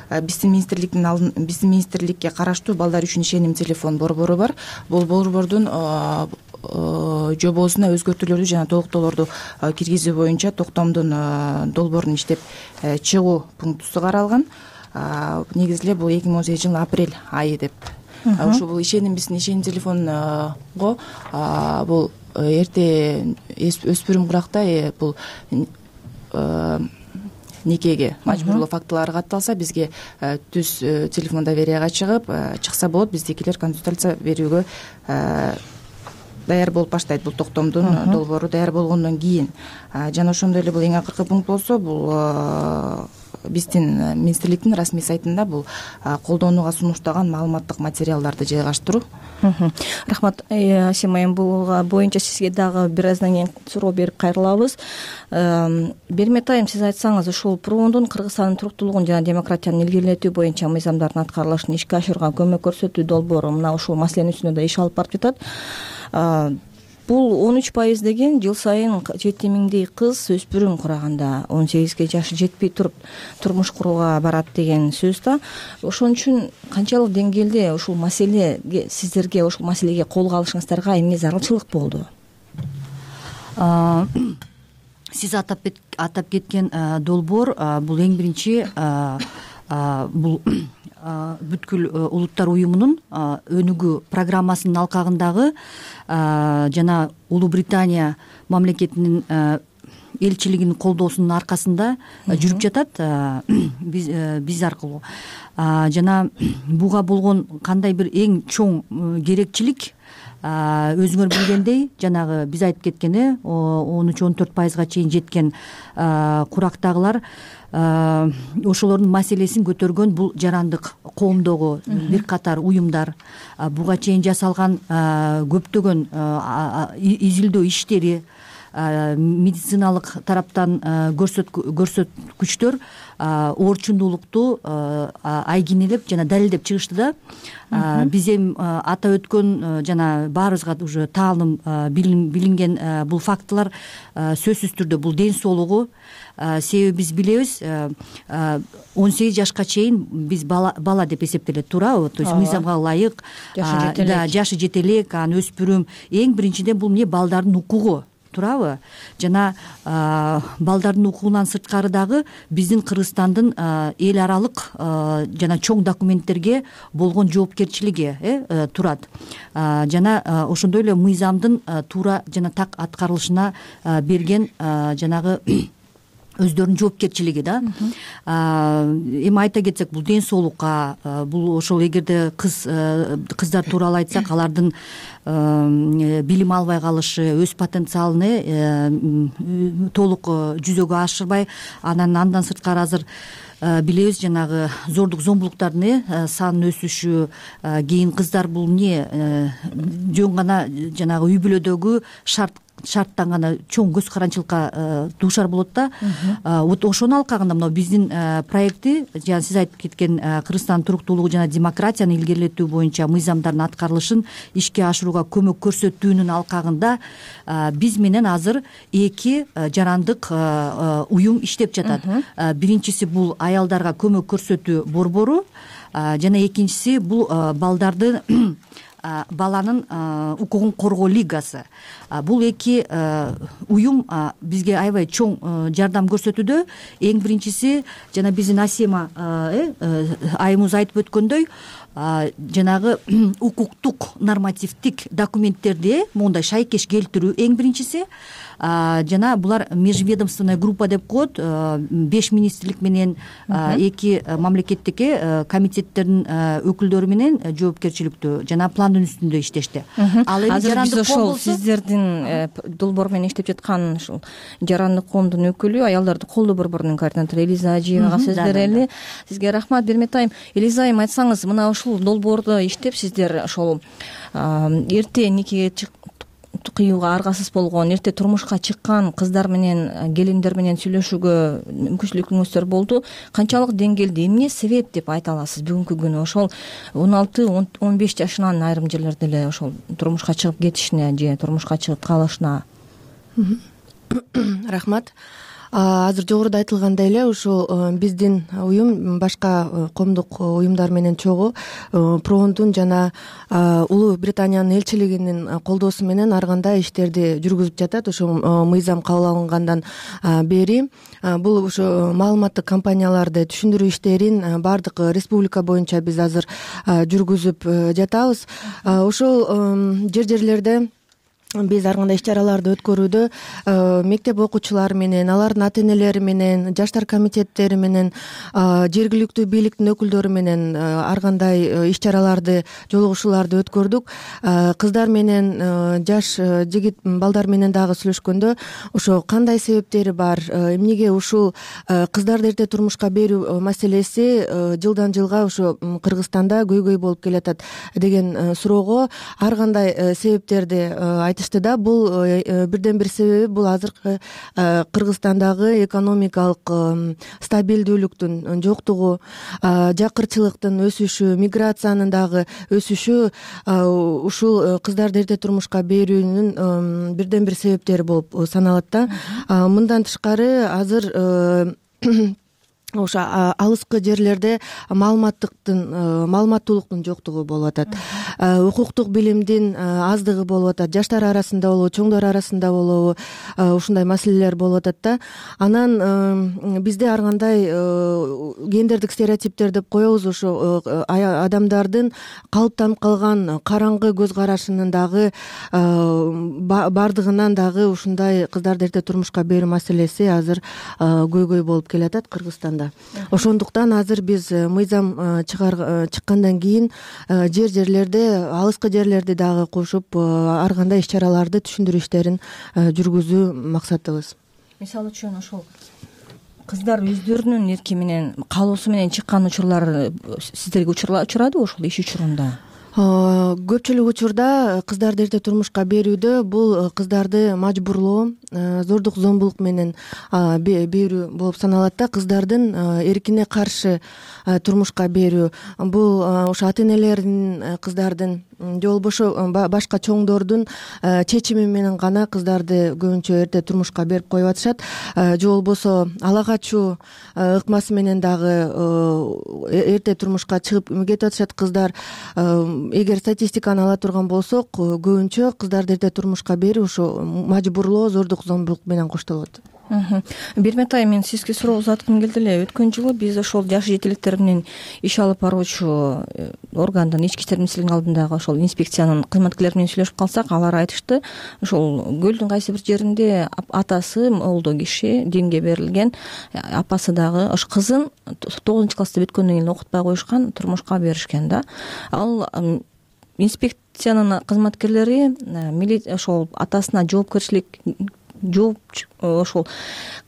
биздин министрликке караштуу балдар үчүн ишеним телефон борбору бар. Бул борбордун жобосуна өзгөртүүлөрдү жана толуктоолорду киргизүү боюнча токтомдун долбоорун иштеп чыгуу пунктусу каралган. Негизи эле бул 2018-жылдын апрель айы деп. Ошо бул биздин ишеним телефонго бул эрте өспүрүм куракта бул никеге мажбурлоо фактылары катталса, бизге түз телефон доверияга чыкса болот. Биздикилер консультация берүүгө даяр болуп баштайт. Бул токтомдун долбоору даяр болгондон кийин. Жана ошондой эле бул эң акыркы пункт болсо, бул биздин министрликтин расмий сайтында бул колдонууга сунуштаган маалыматтык материалдарды жайгаштыруу. Рахмат, Асема айым. Бул боюнча сизге дагы бир аздан кийин суроо берип кайрылабыз. Бермет айым, сиз айтсаңыз, ушул ПРООндун Кыргызстандын туруктуулугун жана демократияны илгерилетүү боюнча мыйзамдардын аткарылышын ишке ашырууга көмөк көрсөтүү долбоору мына ушул маселенин үстүндө да иш алып барып жатат. Бул 13% деген жыл сайын 7000дей кыз өспүрүм кураганда 18 жашы жетпей туруп турмуш курууга барат деген сөз да. Ошон үчүн канчалык деңгээлде ушул маселеге сиздерге ушул маселеге колго алышыңыздарга эмне зарылчылык болду? Сиз атап кеткен долбоор бул эң биринчи бул бүткүл улуттар уюмунун өнүгүү программасынын алкагындагы жана Улуу Британия мамлекетинин элчилигинин колдоосунун аркасында жүрүп жатат биз аркылуу. Жана буга болгон кандай бир эң чоң керекчилик, өзүңөр билгендей, жанагы биз айтып кеткен 13-14%га чейин жеткен курактагылар ошолордун маселесин көтөргөн бул жарандык коомдогу бир катар уюмдар, буга чейин жасалган көптөгөн изилдөө иштери, медициналык тараптан көрсөткүчтөр орчундуулукту айгинелеп жана далилдеп чыгышты да. Биз эми атап өткөн жана баарыбызга уже таалым билинген бул фактылар сөзсүз түрдө бул ден соолугу. Себеби биз билебиз, 18 жашка чейин биз бала деп эсептелет, туурабы? То есть мыйзамга ылайык, жашы жете элек, анан өспүрүм. Эң биринчиден бул эмне? Балдардын укугу, туурабы? Жана балдардын укугунан сырткары дагы биздин Кыргызстандын эл аралык жана чоң документтерге болгон жоопкерчилиги турат. Жана ошондой эле мыйзамдын туура жана так аткарылышына берген жанагы өздөрүнүн жоопкерчилиги да. Эми айта кетсек, бул ден соолукка, бул ошол эгерде кыздар тууралуу айтсак, алардын билим албай калышы, өз потенциалын толук жүзөгө ашырбай, андан сырткары азыр билебиз, жанагы зордук зомбулуктардын санынын өсүшү, кийин кыздар бул эмне жөн гана жанагы үй бүлөдөгү шарттан гана чоң көз каранчылыкка дуушар болот да. Вот ошонун алкагында мына биздин проекти, жана сиз айтып кеткен Кыргызстандын туруктуулугу жана демократияны илгерилетүү боюнча мыйзамдардын аткарылышын ишке ашырууга көмөк көрсөтүүнүн алкагында биз менен азыр эки жарандык уюм иштеп жатат. Биринчиси бул аялдарга көмөк көрсөтүү борбору, жана экинчиси бул балдарды баланын укугун коргоо лигасы. Бул эки уюм бизге аябай чоң жардам көрсөтүүдө. Эң биринчиси жана биздин Асема айымыбыз айтып өткөндөй, жанагы укуктук нормативдик документтерди моундай шайкеш келтирүү эң биринчиси. Жана булар межведомственная группа деп коет, 5 министрлик менен 2 мамлекеттик комитеттердин өкүлдөрү менен жоопкерчиликтүү жана пландын үстүндө иштешти. Ал эми азыр биз ошол сиздердин долбоор менен иштеп жаткан ушул жарандык коомдун өкүлү, аялдарды колдоо борборунун координатору Элиза Ажиевага сөз берели. Сизге рахмат. Бермет айым, Элиза айым, айтсаңыз, мына ушул долбоорду иштеп сиздер ошол эрте никеге кыюуга аргасыз болгон, эрте турмушка чыккан кыздар менен, келиндер менен сүйлөшүүгө мүмкүнчүлүгүңүздөр болду. Канчалык деңгээлде, эмне себеп деп айта аласыз бүгүнкү күнү ошол 16-15 жашынан айрым жерлерде эле ошол турмушка чыгып кетишине же турмушка чыгып калышына? Рахмат. Азыр жогоруда айтылгандай эле ушул биздин уюм башка коомдук уюмдар менен чогуу Промдун жана Улуу Британиянын элчилигинин колдоосу менен ар кандай иштерди жүргүзүп жатат. Ушул мыйзам кабыл алынгандан бери бул ушу маалыматтык компанияларды түшүндүрүү иштерин баардык республика боюнча биз азыр жүргүзүп жатабыз. Ушул жерлерде биз ар кандай иш-чараларды өткөрүүдө мектеп окуучулары менен, алардын ата-энелери менен, жаштар комитеттери менен, жергиликтүү бийликтин өкүлдөрү менен ар кандай иш-чараларды, жолугушууларды өткөрдүк. Кыздар менен, жаш жигит балдар менен дагы сүйлөшкөндө ошо кандай себептери бар, эмнеге ушул кыздарды эрте турмушка берүү маселеси жылдан жылга ошо Кыргызстанда көйгөй болуп келатат деген суроого ар кандай себептерди да. Бул бирден бир себеби бул азыркы Кыргызстандагы экономикалык стабилдүүлүктүн жоктугу, жакырчылыктын өсүшү, миграциянын дагы өсүшү ушул кыздарды эрте турмушка берүүнүн бирден бир себептери болуп саналат да. Мындан тышкары азыр ошо алыскы жерлерде маалыматтуулуктун жоктугу болуп атат. Укуктук билимдин аздыгы болуп атат. Жаштар арасында болобу, чоңдор арасында болобу ушундай маселелер болуп атат да. Анан бизде ар кандай гендердик стереотиптер деп коебуз. Ошо адамдардын калыптанып калган караңгы көз карашынын дагы бардыгынан дагы ушундай кыздарды эрте турмушка берүү маселеси азыр көйгөй болуп келатат Кыргызстанда. Ошондуктан азыр биз мыйзам чыккандан кийин жерлерде, алыскы жерлерди дагы кошуп ар кандай иш-чараларды, түшүндүрүү иштерин жүргүзүү максатыбыз. Мисалы үчүн ошол кыздар өздөрүнүн эрки менен, каалоосу менен чыккан учурлар сиздерге учурадыбы ошол иш учурунда? Көпчүлүк учурда кыздарды эрте турмушка берүүдө бул кыздарды мажбурлоо, зордук зомбулук менен берүү болуп саналат да. Кыздардын эркине каршы турмушка берүү бул ошо ата-энелердин, кыздардын же болбошо башка чоңдордун чечими менен гана кыздарды көбүнчө эрте турмушка берип коюп атышат. Же болбосо ала качуу ыкмасы менен дагы эрте турмушка чыгып кетип атышат кыздар. Эгер статистиканы ала турган болсок, көбүнчө кыздарды эрте турмушка берүү ошо мажбурлоо, зордук зомбулук менен коштолот. Бермет айым, мен сизге суроо узаткым келди эле. Өткөн жылы биз ошол жаш жетеликтер менен иш алып баруучу органдын, ички иштер министрлигинин алдындагы ошол инспекциянын кызматкерлери менен сүйлөшүп калсак, алар айтышты, ошол көлдүн кайсы бир жеринде атасы молдо киши, динге берилген, апасы дагы ош кызын 9-класста бүткөндөн кийин окутпай коюшкан, турмушка беришкен да. Ал инспекциянын кызматкерлери ошол атасына жоопкерчилик ошол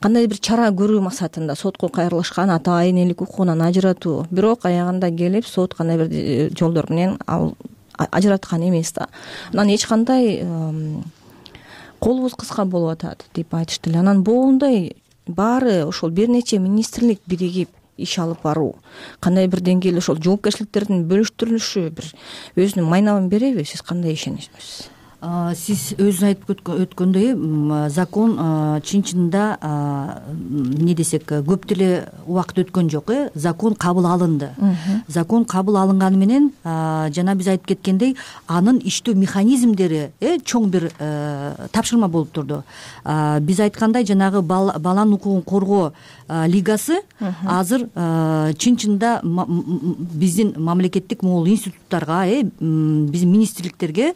кандай бир чара көрүү максатында сотко кайрылышкан, ата энелик укугунан ажыратуу. Бирок аягында келип сот кандай бир жолдор менен ал ажыраткан эмес да. Анан эч кандай колубуз кыска болуп атат деп айтышты эле. Анан боундай баары ошол бир нече министрлик биригип иш алып баруу, кандай бир деңгээлде ошол жоопкерчиликтердин бөлүштүрүлүшү бир өзүнүн майнабын береби? Сиз кандай ишенесиз? Сиз өзүңүз айтып өткөндөй закон чын чынында эмне десек көп деле убакыт өткөн жок. Закон кабыл алынды. Закон кабыл алынганы менен жана биз айтып кеткендей анын иштөө механизмдери чоң бир тапшырма болуп турду. Биз айткандай жанагы баланын укугун коргоо лигасы азыр чын чынында биздин мамлекеттик могул институттарга биздин министрликтерге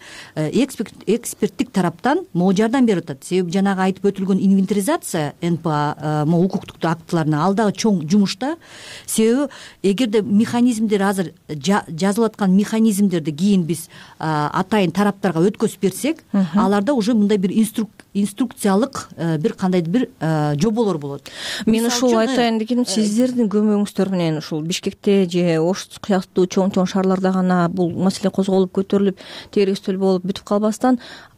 эксперттик тараптан могу жардам берип атат. Себеби жанагы айтып өтүлгөн инвентаризация НПА могу укуктук актыларына ал дагы чоң жумушта. Себеби эгерде механизмдер азыр жазылып аткан механизмдерди кийин биз атайын тараптарга өткөзүп берсек, аларда уже мындай бир инструкциялык бир кандайдыр бир жоболор болот. Мен ушул айтайын дегеним, сиздердин көмөгүңүздөр менен ушул Бишкекте же Ош сыяктуу чоң шаарларда гана бул маселе козголуп көтөрүлүп, тегерестөл болуп бүтүп калбастан,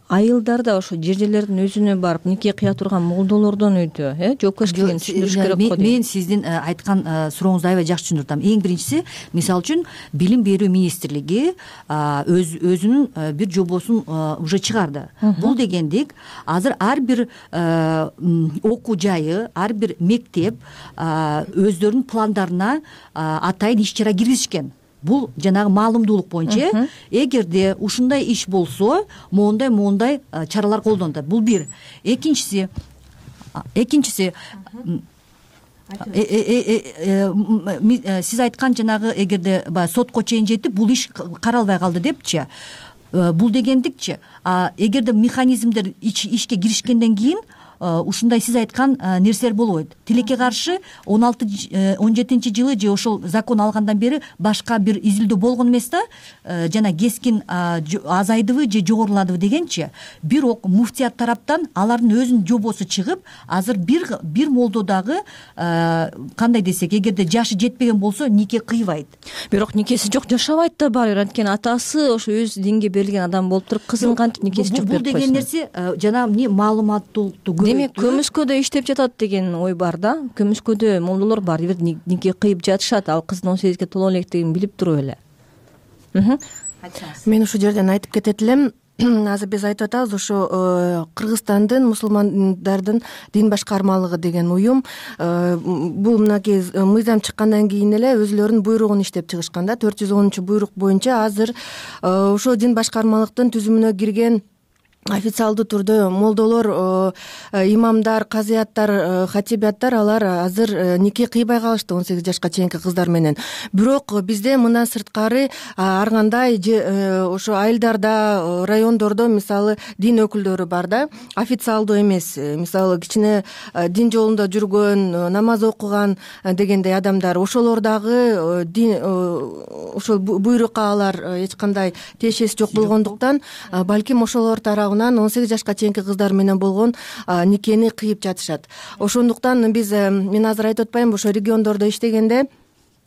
айылдар да ошо жер-жерлердин өзүнө барып нике кыя турган молдолордон үйдө жоопкерчилигин түшүндүрүш керек го. Мен сиздин айткан сурооңузду аябай жакшы түшүнүп атам. Эң биринчиси, мисалы үчүн Билим берүү министрлиги өзүнүн бир жобосун уже чыгарды. Бул дегендик азыр ар бир окуу жайы, ар бир мектеп өздөрүнүн пландарына атайын иш чара киргизишкен. Бул жанагы маалымдуулук боюнча эгерде ушундай иш болсо, моундай чаралар колдонот. Бул бир. Экинчиси сиз айткан жанагы эгерде сотко чейин жетип бул иш каралбай калды депчи. Бул дегендикчи, эгерде механизмдер ишке киришкенден кийин ушундай сиз айткан нерселер болбойт. Тилекке каршы 16-17 же ошол закон алгандан бери башка бир изилдөө болгон эмес да, жана кескин азайдыбы же жогоруладыбы дегенчи. Бирок муфтият тараптан алардын өзүнүн жобосу чыгып, азыр бир молдодагы кандай десек, эгерде жашы жетпеген болсо нике кыйбайт. Бирок никеси жок жашабайт да баары. Анткени атасы ошо өз динге берилген адам болуп туруп, кызын кантип никеси жок берип койсун. Бул деген нерсе жана эмне маалыматтуулукту демек көмүскөдө иштеп жатат деген ой бар да. Көмүскөдө молдолор бар, бир нике кыйып жатышат, ал кыздын 18-ге толо электигин билип туруп эле. Мен ушул жерден айтып кетет элем. Азыр биз айтып атабыз, ошо Кыргызстандын мусулмандардын дин башкармалыгы деген уюм бул мынакей мыйзам чыккандан кийин эле өзүлөрүнүн буйругун иштеп чыгышкан да. 410-буйрук боюнча азыр ошол дин башкармалыктын түзүмүнө кирген официалдуу түрдө молдолор, имамдар, казыяттар, хатибияттар алар азыр нике кыйбай калышты 18 жашка чейинки кыздар менен. Бирок бизде мындан сырткары ар кандай ошо айылдарда, райондордо мисалы дин өкүлдөрү бар да, официалдуу эмес, мисалы кичине дин жолунда жүргөн, намаз окуган дегендей адамдар, ошолор дагы дин ошол буйрукка алар эч кандай тиешеси жок болгондуктан, балким ошолор тарабынан 18 жашка чейинки кыздар менен болгон никени кыйып жатышат. Ошондуктан мен азыр айтып атпаймынбы, ошо региондордо иштегенде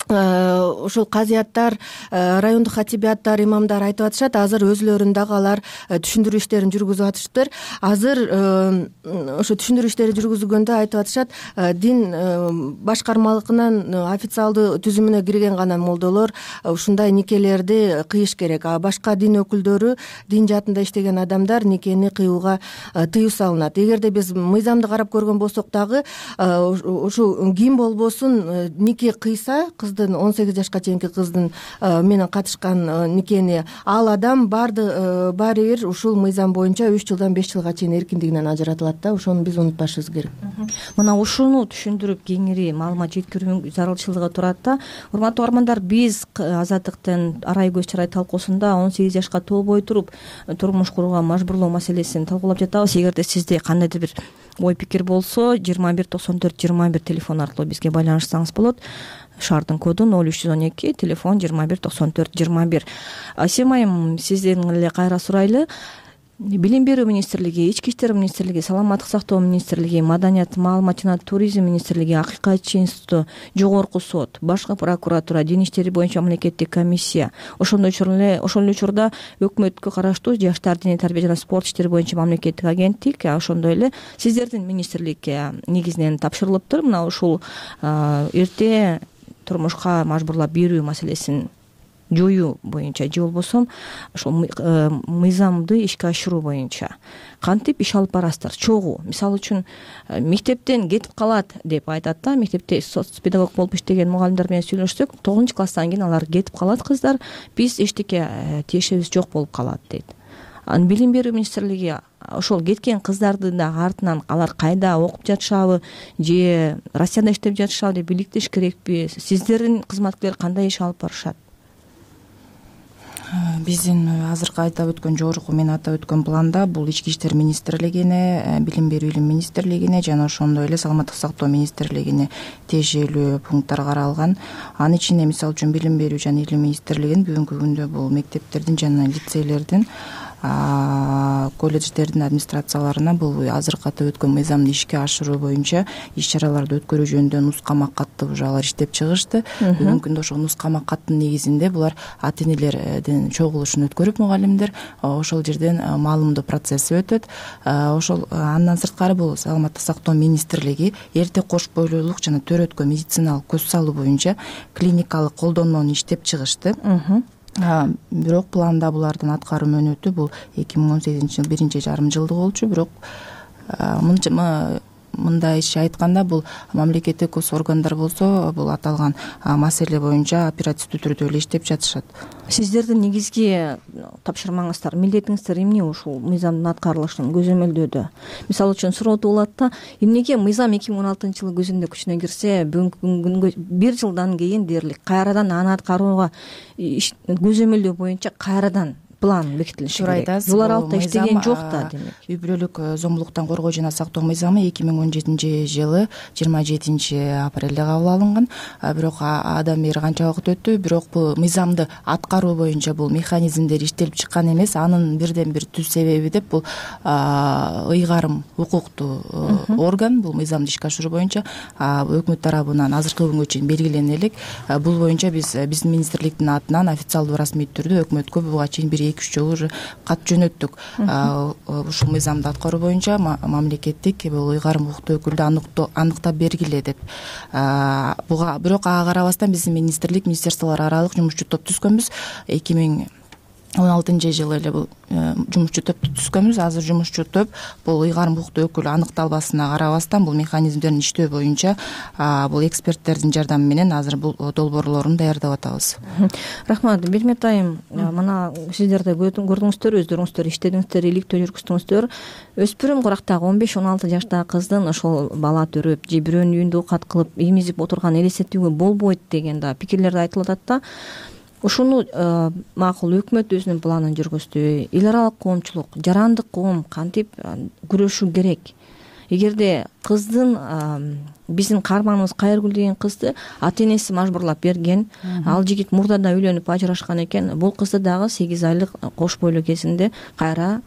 ошол казыяттар, райондук хатибияттар, имамдар айтып атышат, азыр өзүлөрүн дагы алар түшүндүрүү иштерин жүргүзүп атышыптыр. Азыр ошо түшүндүрүү иштери жүргүзүлгөндө айтып атышат, дин башкармалыгынын официалдуу түзүмүнө кирген гана молдолор ушундай никелерди кыйыш керек. А башка дин өкүлдөрү, дин жаатында иштеген адамдар никени кыюуга тыюу салынат. Эгерде биз мыйзамды карап көргөн болсок дагы, ушул ким болбосун нике кыйса, 18 жашка чейинки кыздын менен катышкан никени, ал адам баары бир ушул мыйзам боюнча 3 жылдан 5 жылга чейин эркиндигинен ажыратылат да. Ошону биз унутпашыбыз керек. Мына ушуну түшүндүрүп кеңири маалымат жеткирүүнүн зарылчылыгы турат да. Урматтуу угармандар, биз Азаттыктын арай көз чарай талкуусунда 18 жашка толбой туруп турмуш курууга мажбурлоо маселесин талкуулап жатабыз. Эгерде сизде кандайдыр бир ой пикир болсо, 21 94 21 телефон аркылуу бизге байланышсаңыз болот. Шаардын коду 0312, телефон 21 94 21. Асем айым, сизден эле кайра сурайлы. Билим берүү министрлиги, Ички иштер министрлиги, Саламаттык сактоо министрлиги, Маданият, маалымат жана туризм министрлиги, Акыйкатчы институту, Жогорку сот, башкы прокуратура, дин иштери боюнча мамлекеттик комиссия, ошол эле учурда өкмөткө караштуу жаштар диний тарбия жана спорт иштери боюнча мамлекеттик агенттик, ошондой эле сиздердин министрликке негизинен тапшырылыптыр. Мына ушул эрте турмушка мажбурлап берүү маселесин жоюу боюнча же болбосо ошол мыйзамды ишке ашыруу боюнча кантип иш алып барасыздар чогуу? Мисалы үчүн мектептен кетип калат деп айтат да, мектепте соц педагог болуп иштеген мугалимдер менен сүйлөшсөк 9 класстан кийин алар кетип калат кыздар, биз эчтеке тиешебиз жок болуп калат дейт. Анан билим берүү министрлиги ошол кеткен кыздарды да артынан алар кайда окуп жатышабы же Россияда иштеп жатышабы деп иликтеш керекпи? Сиздердин кызматкерлер кандай иш алып барышат? Биздин азыркы айтып өткөн жогорку мен атап өткөн планда бул Ички иштер министрлигине, билим берүү илим министрлигине жана ошондой эле саламаттык сактоо министрлигине тиешелүү пункттар каралган. Анын ичинде мисалы үчүн билим берүү жана илим министрлигинин бүгүнкү күндө бул мектептердин жана лицейлердин колледждердин администрацияларына бул азыркы атап өткөн мыйзамды ишке ашыруу боюнча иш чараларды өткөрүү жөнүндө нускама катты уже алар иштеп чыгышты. Бүгүнкү күндө ошол нускама каттын негизинде булар ата энелердин чогулушун өткөрүп мугалимдер ошол жерден маалымдоо процесси өтөт. Ошол андан сырткары бул саламаттык сактоо министрлиги эрте кош бойлуулук жана төрөткө медициналык көз салуу боюнча клиникалык колдонмону иштеп чыгышты. Бирок планда булардын аткаруу мөөнөтү бул 2018 жыл 1,5 жылдык болчу. Бирок мындай иш айтканда бул мамлекеттик органдар болсо бул аталган маселе боюнча оперативдүү түрдө эле иштеп жатышат. Сиздердин негизги тапшырмаңыздар, милдетиңиздер эмне ушул мыйзамдын аткарылышын көзөмөлдөөдө? Мисалы үчүн сурооду болот да, эмнеге мыйзам 2016-жылы күзүндө күчүнө кирсе, бүгүнкү күнгө 1 жылдан кийин дээрлик кайрадан аны аткарууга көзөмөлдөө боюнча кайрадан план бекитилиши керек. Булар алтта иштеген жок да, демек. Үй бүлөлүк зомбулуктан коргоо жана сактоо мыйзамы 2017-жылы 27-апрелде кабыл алынган. Бирок адан бери канча убакыт өттү, бирок бул мыйзамды аткаруу боюнча бул механизмдер иштелип чыккан эмес. Анын бирден бир түз себеби деп бул ыйгарым укуктуу орган, бул мыйзамды ишке ашыруу боюнча өкмөт тарабынан азыркы күнгө чейин белгилене элек. Бул боюнча биздин министрликтин атынан официалдуу расмий түрдө өкмөткө буга чейин 1-2 жолу уже кат жөнөттүк. Ушул мыйзамды аткаруу боюнча мамлекеттик бул ыйгарым укуктуу өкүлдү аныктап бергиле деп. Буга бирок ага карабастан биздин министрликтер аралык жумушчу топ түзгөнбүз. 2016-жылы эле бул жумушчу топту түзгөнбүз. Азыр жумушчу топ бул ыйгарым укуктуу өкүл аныкталбасына карабастан бул механизмдерин иштөө боюнча бул эксперттердин жардамы менен азыр бул долбоорлорун даярдап атабыз. Рахмат. Бермет айым, мына сиздер да көрдүңүздөр, өздөрүңүздөр иштедиңиздер, иликтөө жүргүздүңүздөр. Өспүрүм курактагы 15-16 жаштагы кыздын ошол бала төрөп же бирөөнүн үйүндө оокат кылып эмизип отурган элестетүүгө болбойт деген да пикирлер айтылып атат да. Ушуну макул өкмөт өзүнүн планын жүргүздү. Эл аралык коомчулук, жарандык коом кантип күрөшүү керек? Эгерде кыздын биздин каарманыбыз Кайыргүл деген кызды ата энеси мажбурлап берген, ал жигит мурдада үйлөнүп ажырашкан экен, бул кызды дагы 8 айлык кош бойлуу кезинде кайра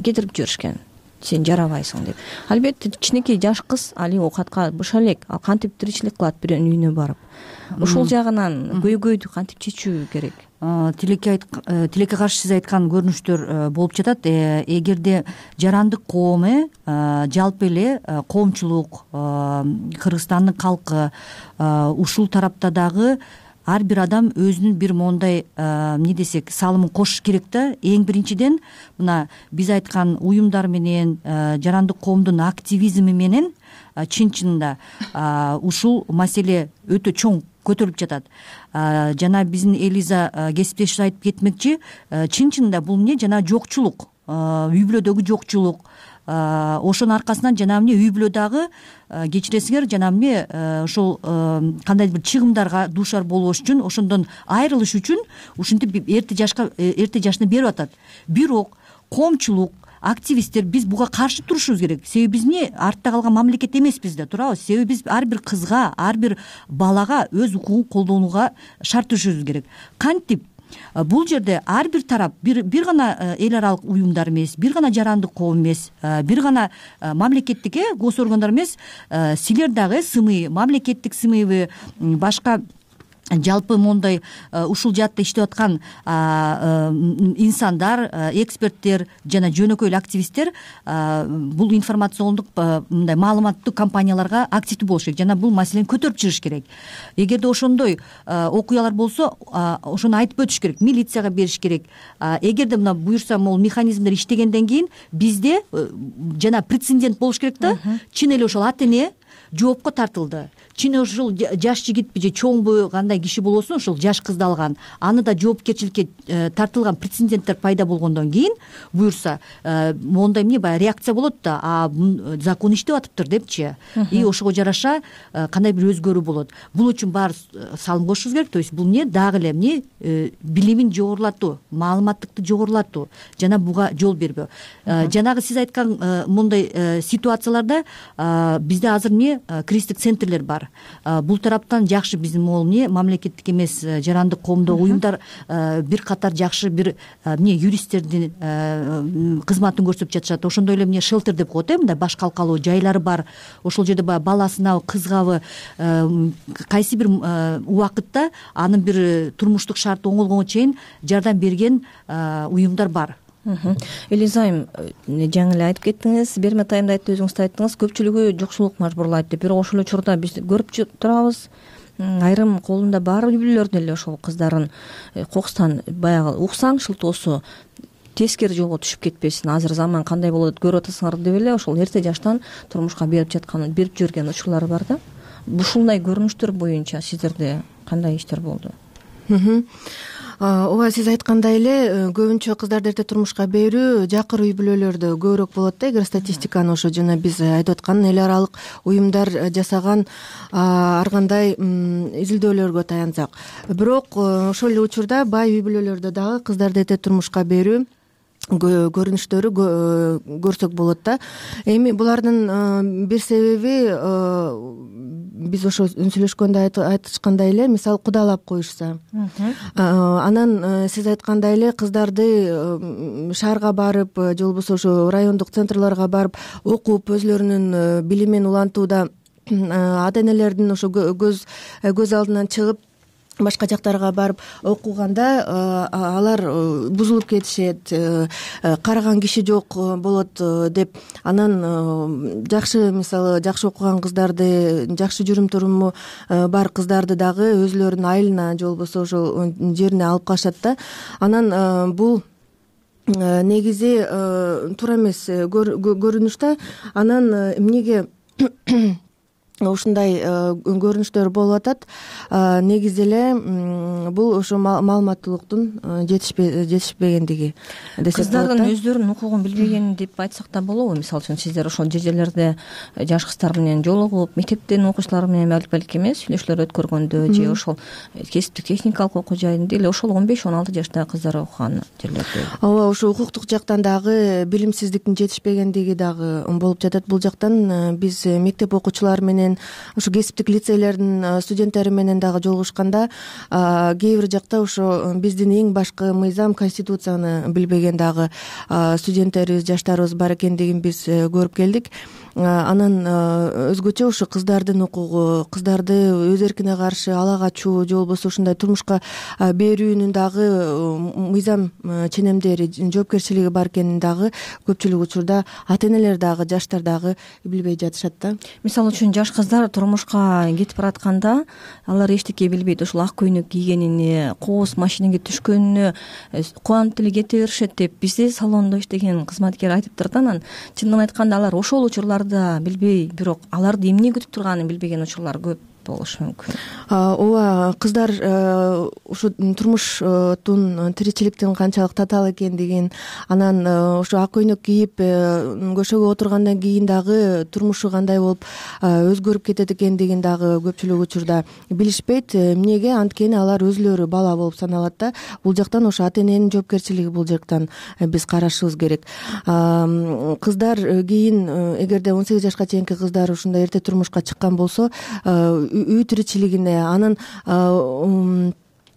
кетирип жиберишкен. Сен жарабайсың деп. Албетте кичинекей жаш кыз али оокатка быша элек, ал кантип тиричилик кылат бирөөнүн үйүнө барып. Ушул жагынан көйгөйдү кантип чечүү керек? Тилекке каршы сиз айткан көрүнүштөр болуп жатат. Эгерде жарандык коом жалпы эле коомчулук, Кыргызстандын калкы ушул тарапта дагы ар бир адам өзүнүн бир мондай эмне десек салымын кошуш керек да. Эң биринчиден мына биз айткан уюмдар менен жарандык коомдун активизми менен чын-чынында ушул маселе өтө чоң көтөрүлүп жатат. Жана биздин Элиза кесиптешибиз айтып кетмекчи, чын-чынында бул эмне жана жокчулук, үй бүлөдөгү жокчулук. Ошонун аркасынан жанагы эмне үй бүлөдөгү кечиресиңер жанагы эмне ошол кандайдыр бир чыгымдарга дуушар болбош үчүн, ошондон айрылыш үчүн ушинтип эрте жашына берип атат. Бирок коомчулук, активисттер биз буга каршы турушубуз керек. Себеби биз эмне артта калган мамлекет эмеспиз да, туурабы? Себеби биз ар бир кызга, ар бир балага өз укугун колдонууга шарт түзүшүбүз керек. Кантип? Бул жерде ар бир тарап бир гана эл аралык уюмдар эмес, бир гана жарандык коом эмес, бир гана мамлекеттик гос органдар эмес, силер дагы СМИ, мамлекеттик СМИ, башка жалпы мондай ушул жаатта иштеп аткан инсандар, эксперттер жана жөнөкөй эле активисттер бул информациондук мындай маалыматтуу кампанияларга активдүү болуш керек жана бул маселени көтөрүп чыгыш керек. Эгерде ошондой окуялар болсо, ошону айтып өтүш керек, милицияга бериш керек. Эгерде мына буюрса могул механизмдер иштегенден кийин бизде жана прецедент болуш керек да, чын эле ошол ата эне жоопко тартылды. Чын ушул жаш жигитпи же чоңбу кандай киши болосун, ушул жаш кызды алган, аны да жоопкерчиликке тартылган прецеденттер пайда болгондон кийин буюрса мондай эмне баягы реакция болот да, закон иштеп атыптыр депчи, и ошого жараша кандай бир өзгөрүү болот. Бул үчүн баары салым кошушубуз керек. То есть бул эмне дагы эле эмне билимин жогорулатуу, маалыматтыкты жогорулатуу жана буга жол бербөө. Жанагы сиз айткан мондай ситуацияларда бизде азыр эмне кризистик центрлер бар. Бул тараптан жакшы биздин могул эмне мамлекеттик эмес жарандык коомдогу уюмдар бир катар жакшы бир эмне юристтердин кызматын көрсөтүп жатышат. Ошондой эле эмне шелтер деп коет, мындай баш калкалуу жайлары бар. Ошол жерде баягы баласынабы, кызгабы кайсы бир убакытта анын бир турмуштук шарты оңолгонго чейин жардам берген уюмдар бар. Элиза айым, жаңы эле айтып кеттиңиз, берме тайымда өзүңүз да айттыңыз, көпчүлүгү жокчулук мажбурлайт деп. Бирок ошол учурда биз көрүп турабыз, айрым колунда бар үй бүлөлөрдүн эле ошол кыздарын кокустан баягы уксаң шылтоосу тескери жолго түшүп кетпесин, азыр заман кандай болот көрүп атасыңар деп эле ошол эрте жаштан турмушка берип жиберген учурлар бар да. Ушундай көрүнүштөр боюнча сиздерде кандай иштер болду? Ооба, сиз айткандай эле көбүнчө кыздарды эрте турмушка берүү жакыр үй бүлөлөрдө көбүрөөк болот да. Эгер статистиканы ошо жана биз айтып аткан эл аралык уюмдар жасаган ар кандай изилдөөлөргө таянсак, бирок ошол эле учурда бай үй бүлөлөрдө дагы кыздарды эрте турмушка берүү көрүнүштөрү көрсөк болот да. Эми булардын бир себеби биз ошо сүйлөшкөндө айтышкандай эле, мисалы кудалап коюшса. Анан сиз айткандай эле кыздарды шаарга барып же болбосо ошо райондук центрларга барып окуп өзлөрүнүн билимин улантууда ата энелердин ошо көз алдынан чыгып башка жактарга барып окуганда алар бузулуп кетишет, караган киши жок болот деп. Анан жакшы, мисалы жакшы окуган кыздарды, жакшы жүрүм туруму бар кыздарды дагы өзлөрүнүн айылына же болбосо ошол жерине алып калышат да. Анан бул негизи туура эмес көрүнүш да. Анан эмнеге ушундай көрүнүштөр болуп атат? Негизи эле бул ошо маалыматтуулуктун жетишпегендиги десек болот. Кыздардын өздөрүнүн укугун билбегени деп айтсак да болобу? Мисалы үчүн сиздер ошол жерлерде жаш кыздар менен жолугуп, мектептин окуучулары менен балки эмес сүйлөшүүлөр өткөргөндө же ошол кесиптик техникалык окуу жайында эле ошол 15-16 жаштагы кыздар окуган жерлерде. Ооба, ошо укуктук жактан дагы билимсиздиктин жетишпегендиги дагы болуп жатат. Бул жактан биз мектеп окуучулары менен ошо кесиптик лицейлердин студенттери менен дагы жолугушканда кээ бир жакта ошо биздин эң башкы мыйзам, конституцияны билбеген дагы студенттерибиз, жаштарыбыз бар экендигин биз көрүп келдик. Анан өзгөчө ошо кыздардын укугу, кыздарды өз эркине каршы ала качуу же болбосо ушундай турмушка берүүнүн дагы мыйзам ченемдери, жоопкерчилиги бар экенин дагы көпчүлүк учурда ата энелер дагы, жаштар дагы билбей жатышат да. Мисалы үчүн жаш кыздар турмушка кетип баратканда алар эчтеке билбейт. Ушул ак көйнөк кийгенине, кооз машинеге түшкөнүнө кубанып деле кете беришет деп бизде салондо иштеген кызматкер айтыптыр да. Анан чындыгын айтканда алар ошол учурларда билбей, бирок аларды эмне күтүп турганын билбеген учурлар көп болушу мүмкүн. Ооба, кыздар ушу турмуштун, тиричиликтин канчалык татаал экендигин, анан ошо ак көйнөк кийип көшөгө отургандан кийин дагы турмушу кандай болуп өзгөрүп кетет экендигин дагы көпчүлүк учурда билишпейт. Эмнеге? Анткени алар өзлөрү бала болуп саналат да. Бул жактан ошо ата эненин жоопкерчилиги бул жактан биз карашыбыз керек. Кыздар кийин эгерде 18 жашка чейинки кыздар ушундай эрте турмушка чыккан болсо үй тиричилигине, анын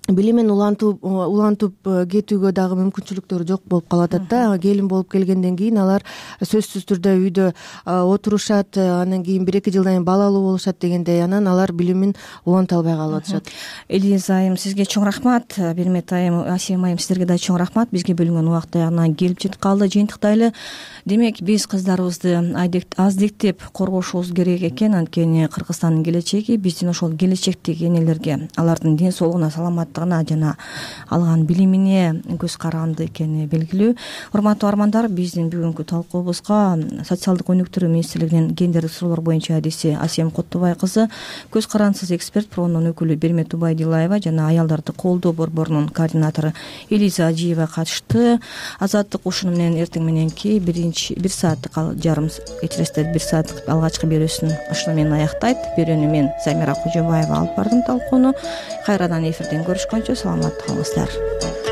билимин улантып кетүүгө дагы мүмкүнчүлүктөрү жок болуп калып атат да. Келин болуп келгенден кийин алар сөзсүз түрдө үйдө отурушат, анан кийин 1-2 жылдан кийин балалуу болушат дегендей, анан алар билимин уланта албай калып атышат. Элиза айым, сизге чоң рахмат. Бермет айым, Асем айым, сиздерге да чоң рахмат. Бизге бөлүнгөн убакыт аягына келип жетип калды. Жыйынтыктайлы, демек биз кыздарыбызды аздектеп коргошубуз керек экен. Анткени Кыргызстандын келечеги биздин ошол келечектеги энелерге, алардын ден соолугуна, саламаттыгына жана алган билимине көз каранды экени белгилүү. Урматтуу армандар, биздин бүгүнкү талкуубузга социалдык өнүктүрүү министрлигинин гендердик суроолор боюнча адиси Асем Куттубай кызы, көз карандысыз эксперт проонунун өкүлү Бермет Убайдилаева жана аялдарды колдоо борборунун координатору Элиза Ажиева катышты. Азаттык ушуну менен эртең мененки 1 сааттык жарым кечиресиздер 1 сааттык алгачкы берүүсүн ушуну менен аяктайт. Берүүнү мен Замира Кожобаева алып бардым талкууну. Кайрадан эфирден көрүшкөнчө саламатта калыңыздар.